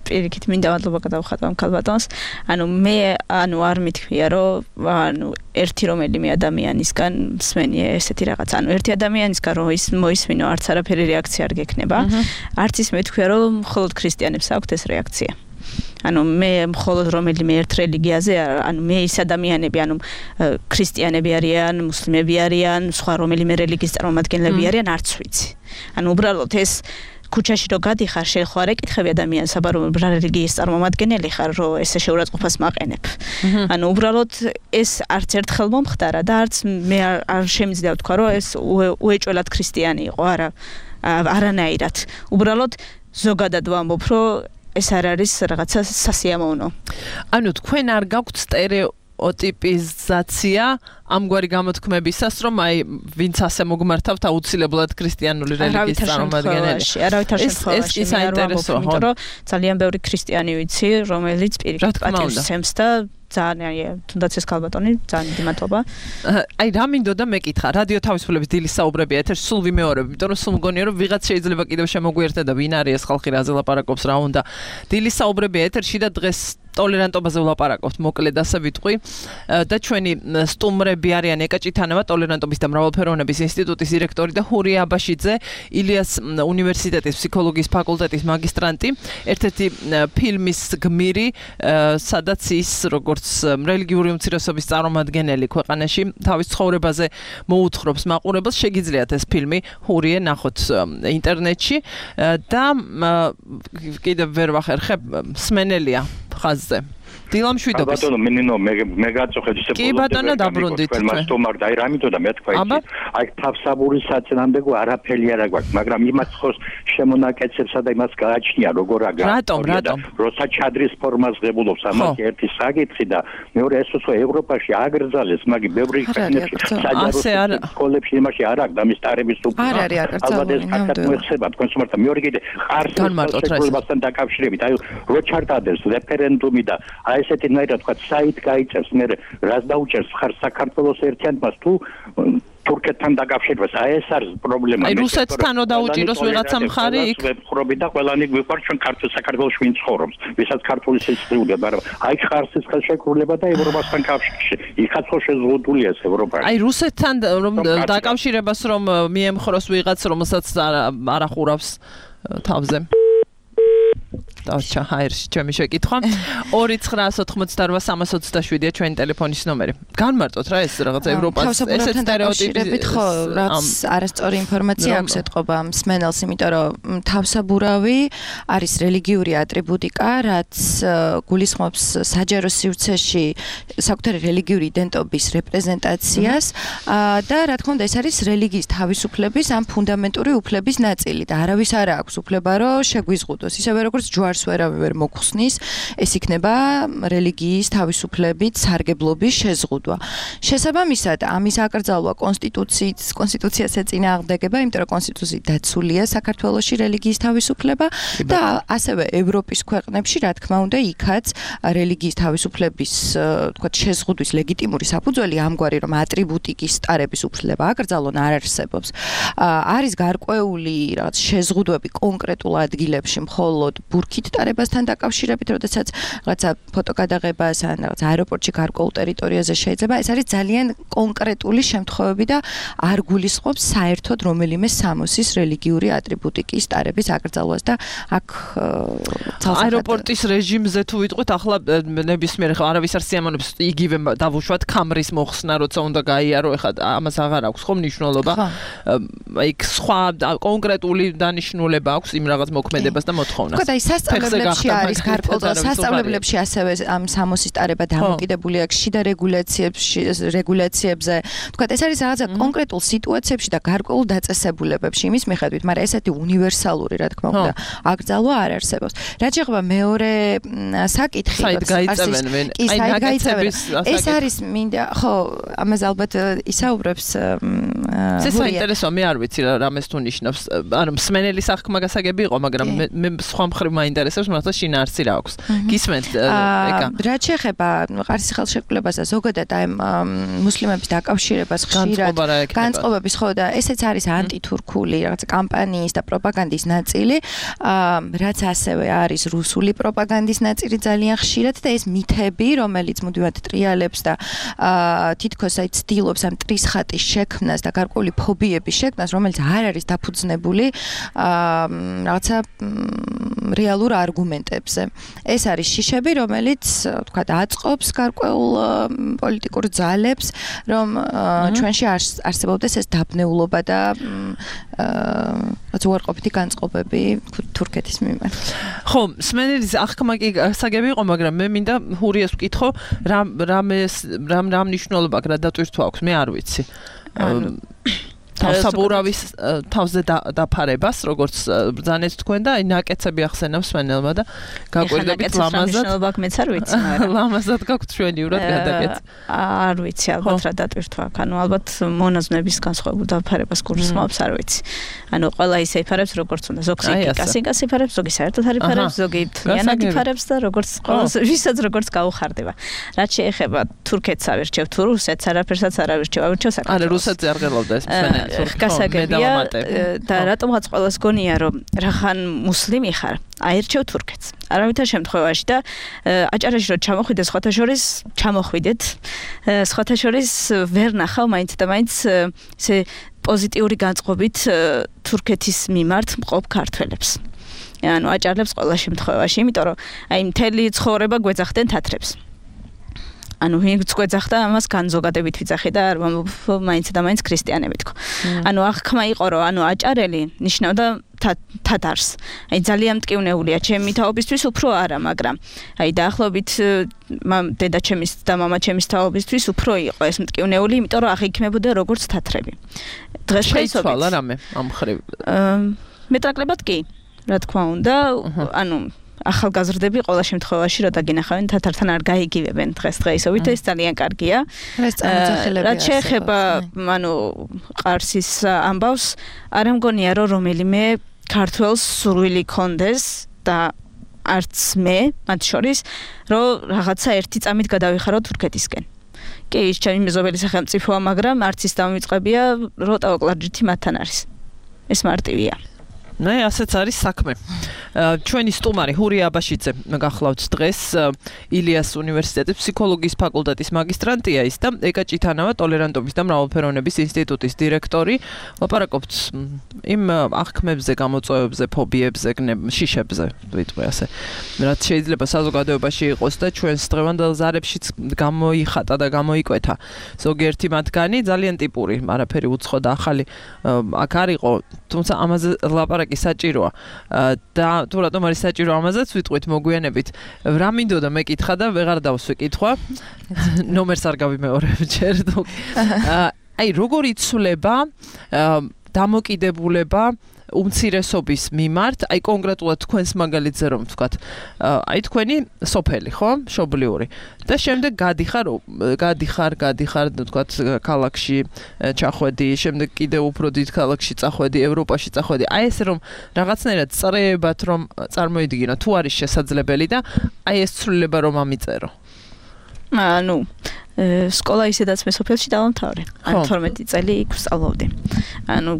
პირიქით მინდა მადლობა გადავხატო ამ ქალბატონს. მე არ მithქვია რომ ერთი რომელიმე ადამიანისგან მსმენია ესეთი რაღაც. ერთი ადამიანისგან რომ ის მოისმინო არც არაფერი რეაქცია არ გექნება. არც ის მithქვია რომ მხოლოდ ქრისტიანებს აქვთ ეს რეაქცია. ანუ მე მხოლოდ რომელიმე ერთ რელიგიაზე ანუ მე ის ადამიანები ანუ ქრისტიანები არიან, მუსლიმები არიან, სხვა რომელიმე რელიგიის წარმომადგენლები არიან, არც ვიცი. ანუ უბრალოდ ეს ქუჩაში რო გადიხარ, შენ ხო არ ეკითხები ადამიანს, აბა რომ რა რელიგიის წარმომადგენელი ხარ, რომ ესე შეურაცხყოფას მაყენებ. ანუ უბრალოდ ეს არც ერთხელ მომხდარა და არც მე არ შემიძლია ვთქვა, რომ ეს უეჭველად ქრისტიანი იყო, არანაირად. უბრალოდ ზოგადად ვამბობ, რომ ეს არ არის რაღაცა სასიამოვნო. ანუ თქვენ არ გაქვთ სტერეოტიპიზაცია ამგვარი გამოთქმებისას, რომ აი ვინც ასე მოგმართავთ აუცილებლად ქრისტიანული რელიგიის წარმომადგენელი. არავითარ შემთხვევაში ეს საინტერესოა, იმიტომ რომ ძალიან ბევრი ქრისტიანი ვიცი, რომელიც პირიქით პატივს სცემს და ძალიან თუნდაც ეს ქალბატონი ძალიან დიდი მადლობა. აი რა მინდოდა მეკითხა, რადიო თავისუფლების დილის საუბრები ეთერში სულ ვიმეორებ, იმიტომ რომ სულ მგონია რომ ვიღაც შეიძლება კიდევ შემოგვიერთდა და ვინ არის ეს ხალხი რაზე ლაპარაკობს რა უნდა. დილის საუბრები ეთერში და დღეს ტოლერანტობაზე ვლაპარაკობთ, მოკლედ ასე ვიტყვი. და ჩვენი სტუმრები არიან ეკაჭითანევა, ტოლერანტობის და მრავალფეროვნების ინსტიტუტის დირექტორი და ჰურია აბაშიძე, ილიას უნივერსიტეტის ფსიქოლოგიის ფაკულტეტის მაგისტრანტი, ერთ-ერთი ფილმის გმირი, სადაც ის როგორც რელიგიური უმცირესობის წარმომადგენელი ქვეყანაში თავის ცხოვრებაზე მოუთხრობს მაყურებელს, შეგიძლიათ ეს ფილმი ჰურიე ნახოთ ინტერნეტში და კიდევ ვერ ვახერხებ, სმენელია ხაზზე. დილამშვიდობის. ბატონო, მინინო, მე გაწუხეთ ისე კი ბატონო, დაბრუნდით. მასტომარ და აი რა მითოდა მეთქვა ის. აი თავსაბურის საწინააღმდეგო არაფერი არ აქვს, მაგრამ იმას ხოს შემონაკეცებსა და იმას გააჩნია როგორ აგა. რატომ? როცა ჩადრის ფორმას ღებულობს ამას ერთი საკითხი და მეორე ეს უცხო ევროპაში აგრძალეს, მაგრამ ბევრი ქვეყნებში საჯარო სკოლებში იმაში არ აქვს ამის ტარების უფლება. ალბათ ეს კარგად მოეხება თქვენს უმართ და მეორე კიდე ხარსებასთან დაკავშირებით, აი რო ჩარტადეს რეფერენდუმი და აი ესეთნაირად თქვა საით გაიწევს მე რას დაუჭერს ხარ საქართველოს ერთიანობას თუ თურქეთთან დაკავშირებას აი ეს არის პრობლემა აი რუსეთთანო დაუჭიროს ვიღაცა მხარი იქ ვეფხრობი და ყველანი გვიყვარს ჩვენ საქართველოს ვინ ცხოვრობს ვისაც ქართული სიცოცხლე მაგრამ აი ხარსის ხელშეკრულება და ევროპასთან კავშირში იქაც ხო შეზღუდულია ეს ევროპა აი რუსეთთან რომ დაკავშირებას რომ მიემხროს ვიღაც რომელსაც არ ახურავს თავზე დავჭა ჰაერში ჩემი შეკითხვა 2988327-ია ჩვენი ტელეფონის ნომერი. განმარტოთ რა ეს რაღაცა ევროპას ესეც სტერეოტიპებით ხო რაც არასწორი ინფორმაცია აქვს ეთყობა მსმენელს, იმიტომ რომ თავსაბურავი არის რელიგიური ატრიბუტიკა, რაც გულისხმობს საჯარო სივრცეში საკუთარი რელიგიური იდენტობის რეპრეზენტაციას და რა თქმა უნდა ეს არის რელიგიის თავისუფლების ამ ფუნდამენტური უფლების ნაწილი და არავის არ აქვს უფლება რომ შეგვიზღუდოს ისევე როგორც ჯვარს ვერავე ვერ მოხსნის, ეს იქნება რელიგიის თავისუფლებით სარგებლობის შეზღუდვა. შესაბამისად, ამის აკრძალვა კონსტიტუციას ეწინააღმდეგება, იმიტომ რომ კონსტიტუციით დაცულია საქართველოში რელიგიის თავისუფლება და ასევე ევროპის ქვეყნებში, რა თქმა უნდა, იქაც რელიგიის თავისუფლების, თქვათ, შეზღუდვის ლეგიტიმური საფუძველი ამგვარი, რომ ატრიბუტიკის სტარების უფლება აკრძალონ არ არსებობს. არის გარკვეული რაღაც შეზღუდვები კონკრეტულ ადგილებში, მხოლოდ ბურქით ტარებასთან დაკავშირებით, როდესაც რაღაცა ფოტოგადაღებას ან რაღაც აეროპორტში გარკვეულ ტერიტორიაზე შეიძლება, ეს არის ძალიან კონკრეტული შემთხვევები და არ გულისხმობს საერთოდ რომელიმე სამოსის რელიგიური ატრიბუტიკის ტარების აკრძალვას და აქ აეროპორტის რეჟიმზე თუ ვიტყვით, ახლა ნებისმიერ არავის არ სიამოვნებს იგივე დავუშვათ კამრის მოხსნა, როცა უნდა გაიარო, ეხლა ამას აღარ აქვს ხო მნიშვნელობა. აი სხვა კონკრეტული დანიშნულება აქვს იმ რაღაც მოქმედებას და მოთხოვნას. აი სასწავლებლებში არის გარკვეულ სასწავლებლებში ასევე ამ სამოსის ტარება დამოკიდებული აქვს შიდა რეგულაციებზე. თქვათ ეს არის რაღაცა კონკრეტულ სიტუაციებში და გარკვეულ დაწესებულებებში იმის მიხედვით, მაგრამ ესეთი უნივერსალური, რა თქმა უნდა, აკრძალვა არ არსებობს. რაც შეეხება მეორე საკითხი, საით გაიწევენ ვინ? აი ნაგაცების ეს არის მინდა, ხო, ამაზე ალბათ ისაუბრებს ეს საინტერესოა, მე არ ვიცი რა რამეს თუ ნიშნავს. ანუ მსმენელი სახმა გასაგები იყო, მაგრამ მე სხვა მხრივ მაინტერესებს, მაგრამ შინაარსი რა აქვს. გისმენთ ეკა. რაც შეეხება ყარსის ხელშეკრულებას და ზოგადად აი მუსლიმების დაკავშირებას ხშირად განწყობების ხო და ესეც არის ანტითურქული რაღაცა კამპანიის და პროპაგანდის ნაწილი, რაც ასევე არის რუსული პროპაგანდის ნაწილი ძალიან ხშირად და ეს მითები, რომელიც მუდმივად ტრიალებს და თითქოს აი ცდილობს ამ ტრისხატის შექმნას და გარკვეული ფობიების შექმნას, რომელიც არ არის დაფუძნებული რაღაცა რეალურ არგუმენტებზე. ეს არის შიშები, რომელიც თქვათ აწყობს გარკვეულ პოლიტიკურ ძალებს, რომ ჩვენში არსებობდეს ეს დაბნეულობა და უარყოფითი განწყობები თურქეთის მიმართ. ხო, სმენელის აღქმა კი გასაგები იყო, მაგრამ მე მინდა ჰურიას ვკითხო, რამ მნიშვნელობა აქვს, რა დატვირთვა აქვს, მე არ ვიცი. თავსაბურავის თავზე დაფარებას, როგორც ბრძანეთ თქვენ და აი ნაკეცები ახსენავს სვენელმა და გაკვირდებით ლამაზად მეც არ ვიცი, მაგრამ ლამაზად გაქვთ ჩვენიურად გადაკეთე. არ ვიცი, ალბათ რა დატვირთვა აქვს. ანუ ალბათ მონაზვნების განსხვავებულ დაფარებას გულისხმობს, არ ვიცი. ანუ ყველა ისე იფარებს, როგორც უნდა. ზოგი კასიკას იფარებს, ზოგი საერთოდ არ იფარებს, ზოგი თლიანად იფარებს და როგორც ვისაც როგორც გაუხარდება. რაც შეეხება თურქეთს ავირჩევ თუ რუსეთს, არაფერსაც არ ავირჩევ, ავირჩევ საქართველოს. არა, რუსეთს არ ღელავდა ეს სვენელი. გასაგებია და რატომღაც ყველას გონია რომ რახან მუსლიმი ხარ აირჩევ თურქეთს არავითარ შემთხვევაში და აჭარაში რომ ჩამოხვიდე სხვათა შორის ჩამოხვიდეთ სხვათა შორის ვერ ნახავ მაინც და მაინც ესე პოზიტიური განწყობით თურქეთის მიმართ მყოფ ქართველებს ანუ აჭარლებს ყველა შემთხვევაში იმიტომ რომ აი მთელი ცხოვრება გვეძახდნენ თათრებს ანუ ვინც გვეძახდა ამას განზოგადებით ვიძახე და მაინც და მაინც ქრისტიანები თქო. ანუ აღქმა იყო რომ ანუ აჭარელი ნიშნავდა თათარს. აი ძალიან მტკივნეულია ჩემი თაობისთვის უფრო არა, მაგრამ აი დაახლოებით დედაჩემის და მამაჩემის თაობისთვის უფრო იყო ეს მტკივნეული, იმიტომ რომ აღიქმებოდა როგორც თათრები. დღეს შეიცვალა რამე ამ ხრივ. მეტაკლებად კი, რა თქმა უნდა, ანუ ახალგაზრდები ყველა შემთხვევაში რა დაგინახავენ თათართან არ გაიგივებენ დღესდღეობით ეს ძალიან კარგია. რაც შეეხება ანუ ყარსის ამბავს არ მგონია რომ რომელიმე ქართველს სურვილი კონდეს და არც მე მათ შორის რომ რაღაცა ერთი წამით გადავიხარო თურქეთისკენ. კი ის ჩემი მეზობელი სახელმწიფოა, მაგრამ არც ის დამივიწყებია რომ ტავაკლარჯითი მათთან არის. ეს მარტივია. ნე ასეც არის საქმე. ჩვენი სტუმარი ჰურია აბაშიძე გახლავთ დღეს ილიას უნივერსიტეტის ფსიქოლოგიის ფაკულტეტის მაგისტრანტია ის და ეკა ჭითანავა ტოლერანტობის და მრავალფეროვნების ინსტიტუტის დირექტორი. ვაპარაკობთ იმ აღქმებზე, გამოწვევებზე, ფობიებზე, შიშებზე, ვიტყვი ასე. რაც შეიძლება საზოგადოებაში იყოს და ჩვენს დღევანდელ ზარებშიც გამოიხატა და გამოიკვეთა. ზოგიერთი მათგანი ძალიან ტიპური, არაფერი უცხო და ახალი აქ არ იყო, თუმცა ამაზე ლაპარაკი საჭიროა და თუ რატომ არის საჭირო ამაზეც ვიტყვით მოგვიანებით რა მინდოდა მეკითხა და ვეღარ დავსვე კითხვა ნომერს არ გავიმეორებ ჯერ თუ აი როგორ იცვლება დამოკიდებულება უმცირესობის მიმართ, აი კონკრეტულად თქვენს მაგალითზე რომ ვთქვათ, აი თქვენი სოფელი, ხო? მშობლიური. და შემდეგ გადიხარ, ვთქვათ, ქალაქში ჩახვედი, შემდეგ კიდევ უფრო დიდ ქალაქში წახვედი, ევროპაში წახვედი. აი ეს რომ რაღაცნაირად წრეებად რომ წარმოიდგინო, თუ არის შესაძლებელი და აი ეს ცვლილება რომ ამიწერო. ანუ სკოლა ისედაც მე სოფელში დავამთავრე. ანუ 12 წელი იქ ვსწავლობდი. ანუ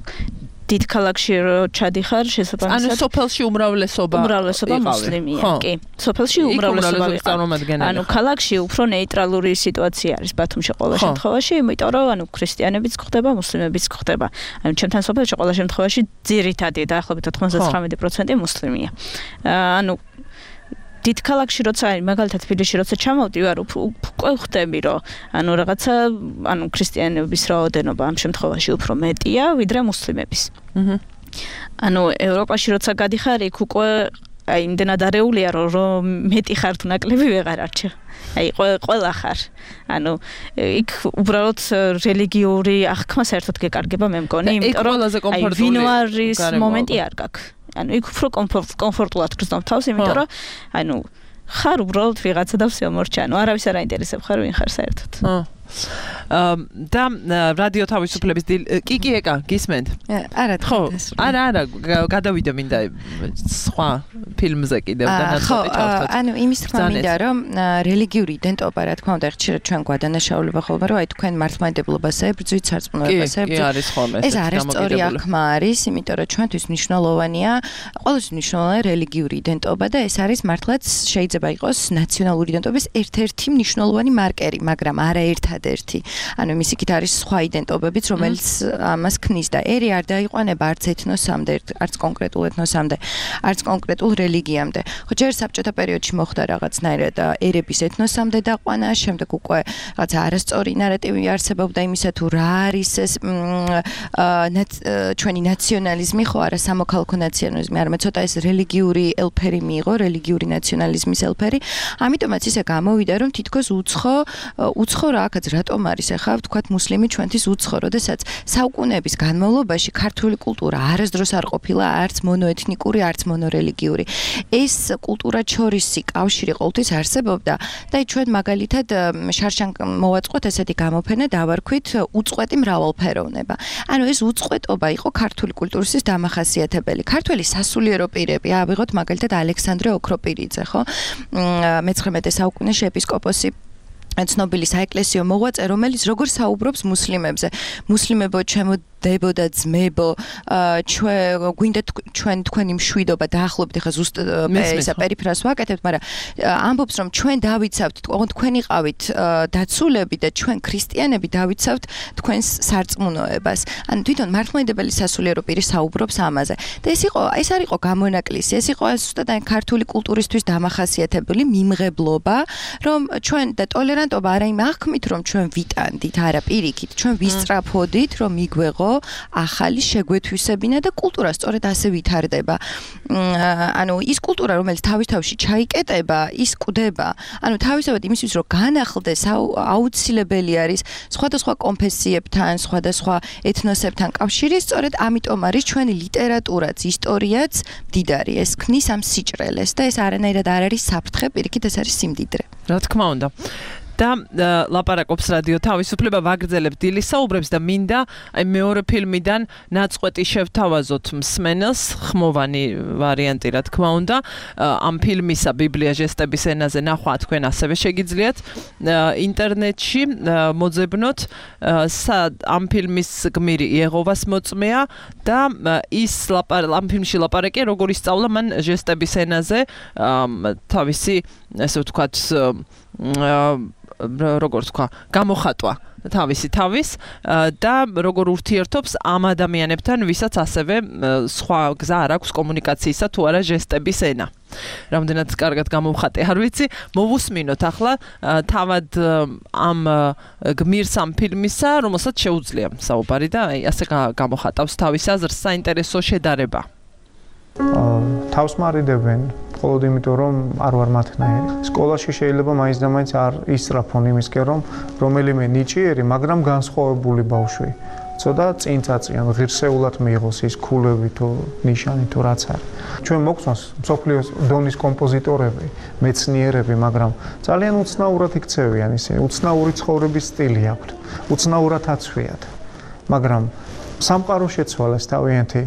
დიდ ქალაქში რო ჩადიხარ შესაბამისად ანუ სოფელში უმრავლესობა მუსლიმია კი სოფელში უმრავლესობა ანუ ქალაქში უფრო ნეიტრალური სიტუაცია არის ბათუმში ყველა შემთხვევაში იმიტომ რომ ანუ ქრისტიანებიც გვხდება მუსლიმებიც გვხდება ანუ ჩემთან სოფელში ყველა შემთხვევაში ძირითადი დაახლოებით 99% მუსლიმია ანუ დიდ ქალაქში როცა არის მაგალითად თბილისში როცა ჩამოვდი ვარ უკვე ხვდები რომ ანუ რაღაცა ანუ ქრისტიანების რაოდენობა ამ შემთხვევაში უფრო მეტია ვიდრე მუსლიმების. ანუ ევროპაში როცა გადიხარ იქ უკვე აი იმდენად არეულია რომ მეტი ხარ თუ ნაკლები ვეღარ არჩევ. აი ყველა ხარ. ანუ იქ უბრალოდ რელიგიური აღქმა საერთოდ გეკარგება მე მგონი იმიტომ რომ აი ვინოარის მომენტი არ გაქვს. ანუ იქ უფრო კომფორტულად გრძნობ თავს, იმიტომ რომ ანუ ხარ უბრალოდ ვიღაცა და всё მორჩა, ანუ არავის არ აინტერესებ ხარ ვინ ხარ საერთოდ. და რადიო თავისუფლების კი ეკა გისმენთ? არა, ხო. არა, გადავიდე მინდა სხვა ფილმზე კიდევ და ნაწყვეტი ჩავთვალოთ. ანუ იმის თქმა მინდა რომ რელიგიური იდენტობა რა თქმა უნდა ხშირად ჩვენ გვადანაშაულება ხოლმე რომ აი თქვენ მართლმადიდებლობაზე ებრძვით სარწმუნოებაზე ეს არასწორი აღქმა არის, იმიტომ რომ ჩვენთვის მნიშვნელოვანია ყოველთვის მნიშვნელოვანია რელიგიური იდენტობა და ეს არის მართლაც შეიძლება იყოს ნაციონალური იდენტობის ერთ-ერთი მნიშვნელოვანი მარკერი, მაგრამ არა ერთადერთი. ანუ იმის იქით არის სხვა იდენტობებიც, რომელიც ამას ქმნის და ერი არ დაიყვანება არც ეთნოსამდე, არც კონკრეტულ ეთნოსამდე, არც კონკრეტულ რელიგიამდე. ხო, ჯერ საბჭოთა პერიოდში მოხდა რაღაცნაირად ერების ეთნოსამდე დაყვანა, შემდეგ უკვე რაღაც არასწორი ნარატივი არსებობდა იმისა თუ რა არის ეს ჩვენი ნაციონალიზმი, ხო, არა სამოქალაქო ნაციონალიზმი, არამედ ცოტა ეს რელიგიური ელფერი მიიღო, რელიგიური ნაციონალიზმის ელფერი. ამიტომაც ისე გამოვიდა, რომ თითქოს უცხო რაკაც რატომ არის ახლა ვთქვათ მუსლიმი ჩვენთვის უცხო, როდესაც საუკუნეების განმავლობაში ქართული კულტურა არასდროს არ ყოფილა არც მონოეთნიკური, არც მონორელიგიური. ეს კულტურაჩორისი კავშირი ყოველთვის არსებობდა და ჩვენ მაგალითად შარშან მოვაწყოთ ესეთი გამოფენა დავარქვით უწყვეტი მრავალფეროვნება. ანუ ეს უწყვეტობა იყო ქართული კულტურის დამახასიათებელი. ქართველი სასულიერო პირები, ავიღოთ მაგალითად ალექსანდრე ოქროპირიძე, ხო? მე-19 საუკუნეში ეპისკოპოსი ცნობილი საეკლესიო მოღვაწე, რომელიც როგორ საუბრობს მუსლიმებზე. მუსლიმებო, ჩემო დებო და ძმებო, გვინდა ჩვენ თქვენი მშვიდობა დაახლოებით ახლა ზუსტად ისა პერიფრას ვაკეთებთ, მაგრამ ამბობს რომ ჩვენ დავიცავთ, თქვენი ყავით დაცულები და ჩვენ ქრისტიანები დავიცავთ თქვენს სარწმუნოებას. ანუ თვითონ მართლმადიდებელი სასულიერო პირი საუბრობს ამაზე. და ეს არ იყო გამონაკლისი, ეს იყო ზუსტად აი ქართული კულტურისთვის დამახასიათებელი მიმღებლობა, რომ ჩვენ და ტოლერანტობა არა იმ აღქმით, რომ ჩვენ ვიტანდით, არა პირიქით, ჩვენ ვისწრაფოდით, რომ მიგვეღო ახალი შეგვეთვისებინა და კულტურა სწორედ ასე ვითარდება. ანუ ის კულტურა, რომელიც თავისთავში ჩაიკეტება, ის კვდება. ანუ თავისთავად იმისთვის, რომ განახლდეს, აუცილებელი არის სხვადასხვა კონფესიებთან, სხვადასხვა ეთნოსებთან კავშირი, სწორედ ამიტომ არის ჩვენი ლიტერატურაც, ისტორიაც მდიდარი. ეს ქმნის ამ სიჭრელეს და ეს არანაირად არ არის საფრთხე, პირიქით ეს არის სიმდიდრე. რა თქმა უნდა. და ლაპარაკობს რადიო თავისუფლება ვაგრძელებთ დილის საუბრებს და მინდა აი მეორე ფილმიდან ნაწყვეტი შევთავაზოთ მსმენელს, ხმოვანი ვარიანტი რა თქმა უნდა. ამ ფილმისა ბიბლია ჟესტების ენაზე ნახვა თქვენ ასევე შეგიძლიათ ინტერნეტში მოძებნოთ. ამ ფილმის გმირი იეღოვას მოწმეა და ამ ფილმში ლაპარაკია როგორ ისწავლა მან ჟესტების ენაზე თავისი ესე ვთქვათ როგორ თქვა, გამოხატვა თავის და როგორ ურთიერთობს ამ ადამიანებთან, ვისაც ასევე სხვა გზა არ აქვს კომუნიკაციისა თუ არა ჟესტების ენა. რამდენად კარგად გამოვხატე, არ ვიცი, მოვუსმინოთ ახლა თავად ამ გმირს ამ ფილმისა, რომელსაც შეუძლია საუბარი და ასე გამოხატავს თავის აზრს, საინტერესო შედარება. თავს მარიდებენ მხოლოდ იმიტომ რომ არ ვარ მათნაირი. სკოლაში შეიძლება მაინც და მაინც არ ისწრაფონ იმისკენ რომ რომელიმე ნიჭიერი, მაგრამ განსხვავებული ბავშვი ცოტა წინ წაწიან, ღირსეულად მიიღოს ის ქულები თუ ნიშანი თუ რაც არის. ჩვენ მოგწონს მსოფლიოს დონის კომპოზიტორები, მეცნიერები, მაგრამ ძალიან უცნაურად იქცევიან ისინი, უცნაური ცხოვრების სტილი აქვთ, უცნაურად აცვიათ. მაგრამ სამყარო შეცვალეს თავიანთი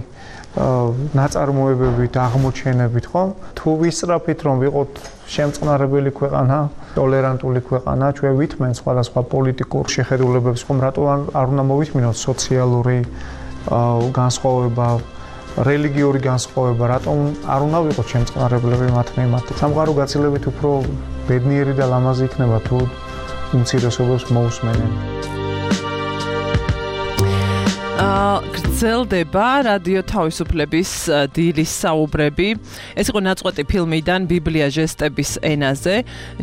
ნაწარმოებებით, აღმოჩენებით, ხო? თუ ვისწრაფით რომ ვიყოთ შემწყნარებელი ქვეყანა, ტოლერანტული ქვეყანა, ჩვენ ვითმენ სხვადასხვა პოლიტიკურ შეხედულებებს, ხომ რატო არ უნდა მოვისმინოთ სოციალური განსხვავება, რელიგიური განსხვავება, რატომ არ უნდა ვიყოთ შემწყნარებლები მათ მიმართ? სამყარო გაცილებით უფრო ბედნიერი და ლამაზი იქნება თუ უმცირესობებს მოусმენენ. გრძელდება რადიო თავისუფლების დილის საუბრები. ეს იყო ნაწყვეტი ფილმიდან ბიბლია ჟესტების ენაზე.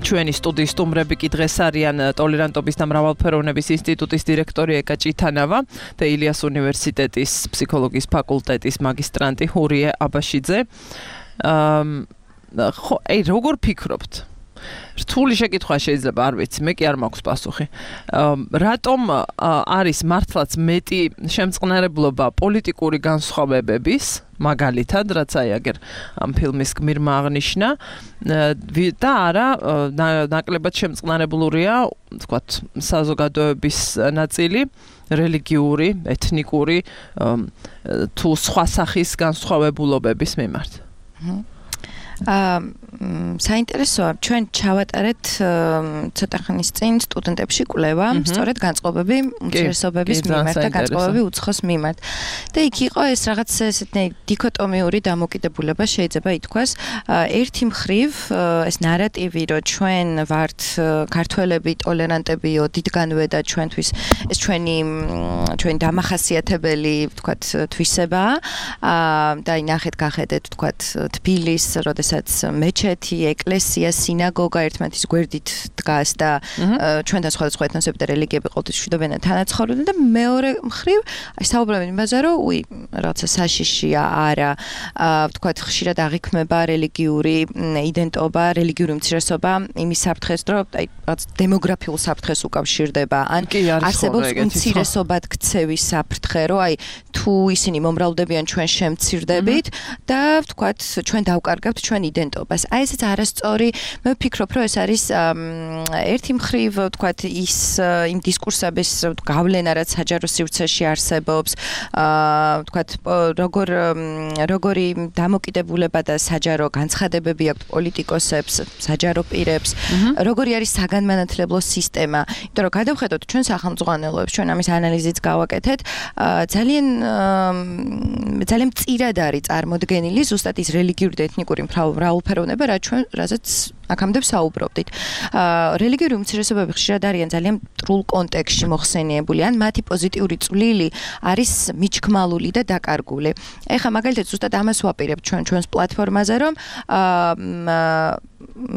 ჩვენი სტუდიის სტუმრები კი დღეს არიან ტოლერანტობის და მრავალფეროვნების ინსტიტუტის დირექტორი ეკა ჭითანავა და ილიას უნივერსიტეტის ფსიქოლოგიის ფაკულტეტის მაგისტრანტი ჰურიე აბაშიძე. ხო, როგორ ფიქრობთ? რთული შეკითხვა შეიძლება, არ ვიცი, მე კი არ მაქვს პასუხი. რატომ არის მართლაც მეტი შემწყნარებლობა პოლიტიკური განსხვავებების, მაგალითად, რაც აი აგერ ამ ფილმის გმირმა აღნიშნა, და არა ნაკლებად შემწყნარებლურია, ვთქვათ, საზოგადოების ნაწილი, რელიგიური, ეთნიკური თუ სხვა სახის განსხვავებულობების მიმართ. საინტერესოა, ჩვენ ჩავატარეთ ცოტა ხნის წინ სტუდენტებში კვლევა, სწორედ განწყობები უმცირესობების მიმართ და განწყობები უცხოს მიმართ. და იქ იყო ეს რაღაც ესეთი დიქოტომიური დამოკიდებულება შეიძლება ითქვას. ერთი მხრივ ეს ნარატივი, რომ ჩვენ ვართ ქართველები ტოლერანტებიო დიდგანვე და ჩვენთვის ეს ჩვენი დამახასიათებელი ვთქვათ თვისებაა. და ნახეთ გახედეთ ვთქვათ თბილისს, როდესაც მეჩეთი, ეკლესია, სინაგოგა ერთმანეთის გვერდით დგას და ჩვენთან სხვადასხვა ეთნოსები და რელიგიები ყოველთვის მშვიდობიან და თანაცხოვრობენ და მეორე მხრივ საუბრობენ იმაზე, რომ რაღაცა საშიშია არა, ვთქვათ ხშირად აღიქმება რელიგიური იდენტობა, რელიგიური უმცირესობა იმის საფრთხეს, რომ რაღაც დემოგრაფიულ საფრთხეს უკავშირდება, ან არსებობს უმცირესობად ქცევის საფრთხე, რომ თუ ისინი მომრავლდებიან ჩვენ შემცირდებით და ვთქვათ ჩვენ დავკარგებთ ჩვენ იდენტობას. ესეც არასწორი, მე ვფიქრობ, რომ ეს არის ერთი მხრივ ვთქვათ იმ დისკურსების გავლენა, რაც საჯარო სივრცეში არსებობს, ვთქვათ როგორი დამოკიდებულება და საჯარო განცხადებები აქვს პოლიტიკოსებს, საჯარო პირებს, როგორი არის საგანმანათლებლო სისტემა, იმიტომ რომ გადავხედოთ ჩვენ სახელმწიფოებს, ჩვენ ამის ანალიზიც გავაკეთეთ, ძალიან მწირად არის წარმოდგენილი ზუსტად ის რელიგიური და ეთნიკური მრავალფეროვნება, რასაც აქამდე საუბრობდით. რელიგიური უმცირესობები ხშირად არიან ძალიან მტრულ კონტექსტში მოხსენიებული, ან მათი პოზიტიური წვლილი არის მიჩქმალული და დაკარგული. ეხლა მაგალითად ზუსტად ამას ვაპირებთ ჩვენს პლატფორმაზე, რომ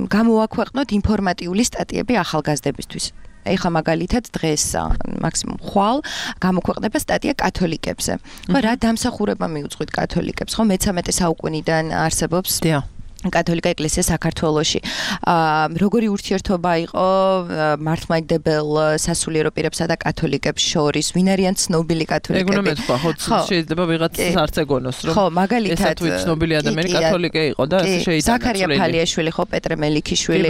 გამოვაქვეყნოთ ინფორმატიული სტატიები ახალგაზრდებისთვის. ეხლა მაგალითად დღეს მაქსიმუმ ხვალ გამოქვეყნება სტატია კათოლიკებზე. ხო, რა დამსახურება მიუძღვით კათოლიკებს, ხო, მე-13 საუკუნიდან არსებობს კათოლიკა ეკლესია საქართველოში. როგორი ურთიერთობა იყო მართლმადიდებელ სასულიერო პირებსა და კათოლიკებს შორის, ვინ არიან ცნობილი კათოლიკები? ეგ უნდა მეთქვა, ხო, შეიძლება ვიღაც არც ეგონოს, რომ ხო, მაგალითად ეს ცნობილი ადამიანი კათოლიკე იყო და ესე შეიძლება ზაქარია ფალიაშვილი, ხო, პეტრე მელიქიშვილი,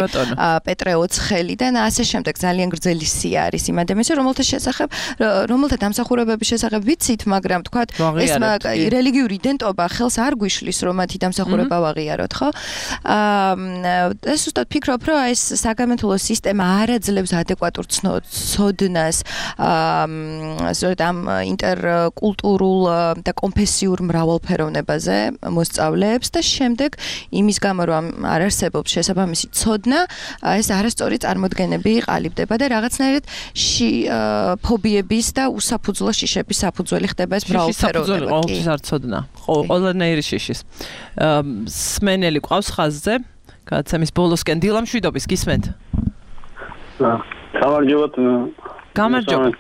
პეტრე ოცხელი და ასე შემდეგ ძალიან გრძელი სია არის იმ ადამიანს, რომელთა დამსახურებების შესახებ ვიცით, მაგრამ თქვათ ეს რელიგიური იდენტობა ხელს არ გვიშლის, რომ მათი დამსახურება ვაღიაროთ, ხო? ეს უბრალოდ ფიქრობ, რომ ეს საგამართლო სისტემა არ აძლევს ადეკვატურ ცოდნას ამ ინტერკულტურულ და კონფესიურ მრავალფეროვნებაზე მოსწავლეებს და შემდეგ იმის გამო, რომ არ არსებობს შესაბამისი ცოდნა, ეს არასწორი წარმოდგენები ყალიბდება და რაღაცნაირად ფობიების და უსაფუძვლო შიშების საფუძველი ხდება ეს მრავალფეროვნება. ყოველთვის არ ცოდნა. ყველანაირი შიშის. სმენელი ყავს ხაზზე, გადაცემის ბოლოსკენ დილა მშვიდობის გისმენთ. გამარჯობათ. გამარჯობათ.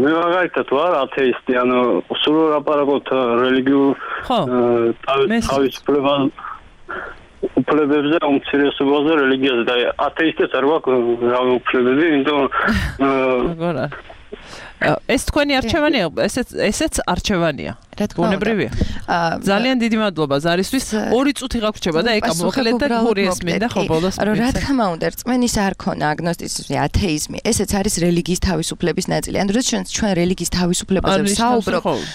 მე მაგალითად ვარ ათეისტი, ანუ სულ ლაპარაკობთ რელიგიურ თავისუფლებას უფლებებზე, უმცირესობაზე, რელიგიაზე და ათეისტებს არ გვაქვს რავი უფლებები, იმიტომ ეს თქვენი არჩევანია, ესეც არჩევანია. ბუნებრივია. ძალიან დიდი მადლობა ზარისთვის. 2 წუთი გაგვრჩება და ეკა მოკლედ და გური ესმინდა ხო ბოლოს. რა თქმა უნდა, რწმენის არ ქონა, აგნოსტიციზმი, ათეიზმი, ესეც არის რელიგიის თავისუფლების ნაწილი. ანუ როდესაც ჩვენ რელიგიის თავისუფლებაზე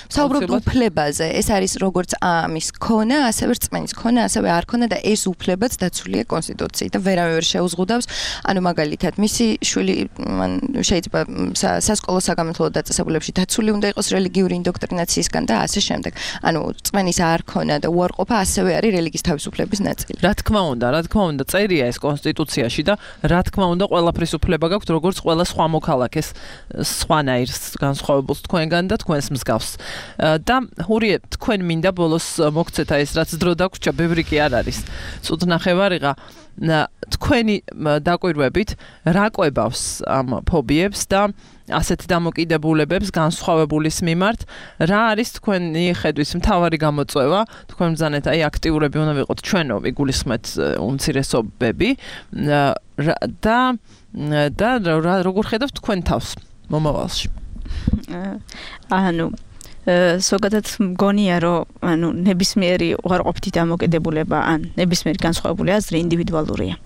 ვსაუბრობთ უფლებაზე, ეს არის როგორც ამის ქონა, ასევე რწმენის ქონა, ასევე არ ქონა და ეს უფლებაც დაცულია კონსტიტუციით და ვერავინ ვერ შეუზღუდავს. ანუ მაგალითად, მისი შვილი შეიძლება სასკოლო საგამართლო დაწესებულებებში დაცული უნდა იყოს რელიგიური ინდოქტრინაციისგან და ასე შემდეგ. ანუ რწმენის არ ქონა და უარყოფა ასევე არის რელიგიის თავისუფლების ნაწილი. რა თქმა უნდა, წერია ეს კონსტიტუციაში და რა თქმა უნდა, ყველაფრის უფლება გაქვთ, როგორც ყველა სხვა მოქალაქეს, სხვანაირ განსხვავებულს თქვენგან და თქვენს მსგავს. და ჰურიე, თქვენ მინდა ბოლოს მოგცეთ ეს რაც დრო დაგვრჩა, ბევრი კი არ არის. წუთ ნახევარიღა თქვენი დაკვირვებით რა კვებავს ამ ფობიებს და ასეთი დამოკიდებულებებს განსხვავებულის მიმართ, რა არის თქვენი ხედვის მთავარი გამოწვევა? თქვენ ბრძანეთ, აქტიურები უნდა ვიყოთ ჩვენო, ვიგულისხმეთ უმცირესობები და როგორ ხედავთ თქვენ თავს მომავალში? ზოგადად მგონია, რომ ნებისმიერი უარყოფითი დამოკიდებულება ან ნებისმიერი განსხვავებული აზრი ინდივიდუალურია.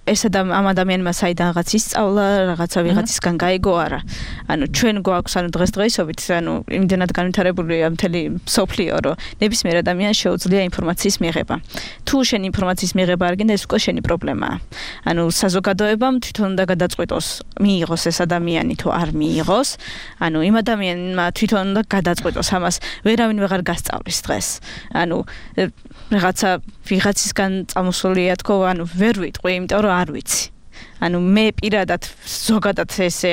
ეს ამ ადამიანმა საიდანღაც ისწავლა, რაღაცა ვიღაცისგან გაიგო არა. ანუ ჩვენ გვაქვს დღესდღეობით, იმდენად განვითარებულია მთელი სოფლიო, რომ ნებისმიერ ადამიანს შეუძლია ინფორმაციის მიღება. თუ შენ ინფორმაციის მიღება არ გინდა, ეს უკვე შენი პრობლემაა. საზოგადოებამ თვითონ უნდა გადაწყვიტოს, მიიღოს ეს ადამიანი თუ არ მიიღოს. იმ ადამიანმა თვითონ უნდა გადაწყვიტოს ამას, ვერავინ ვეღარ გასწავლის დღეს. რაღაცა ვიღაცისგან წამოსულია თქო, ვერ ვიტყვი, იმიტომ რომ არ ვიცი. მე პირადად ზოგადად ესე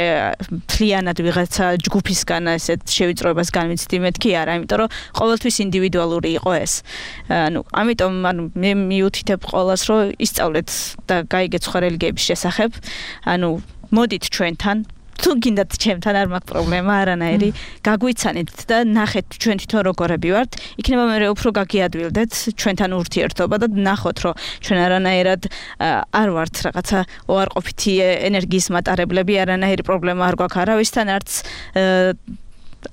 მთლიანად ვიღაცა ჯგუფისგან ესეთ შევიწროებას განვიცდი, მეთქი არა, იმიტომ რომ ყოველთვის ინდივიდუალური იყო ეს. ამიტომ მე მიუთითებ ყველას, რომ ისწავლეთ და გაიგეთ სხვა რელიგიების შესახებ. მოდით ჩვენთან თუ გინდათ ჩემთან არ მაქვს პრობლემა არანაირი, გაგვიცანით და ნახეთ ჩვენ თვითონ როგორები ვართ, იქნება მე უფრო გაგიადვილდეთ ჩვენთან ურთიერთობა და ნახოთ, რომ ჩვენ არანაირად არ ვართ რაღაცა უარყოფითი ენერგიის მატარებლები, არანაირი პრობლემა არ გვაქვს არავისთან, არც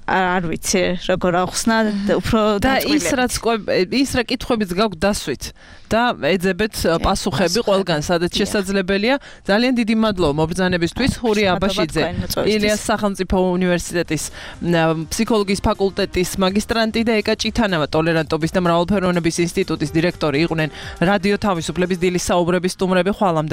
არ ვიცი როგორ ახსნა უფრო და ის რა კითხვებიც გაქვს დასვით და ეძებეთ პასუხები ყველგან სადაც შესაძლებელია. ძალიან დიდი მადლობა მობრძანებისთვის. ხური აბაშიძე, ილიას სახელმწიფო უნივერსიტეტის ფსიქოლოგიის ფაკულტეტის მაგისტრანტი და ეკა ჭითანავა ტოლერანტობის და მრავალფეროვნების ინსტიტუტის დირექტორი იყვნენ რადიო თავისუფლების დილის საუბრების სტუმრები. ხვალამდე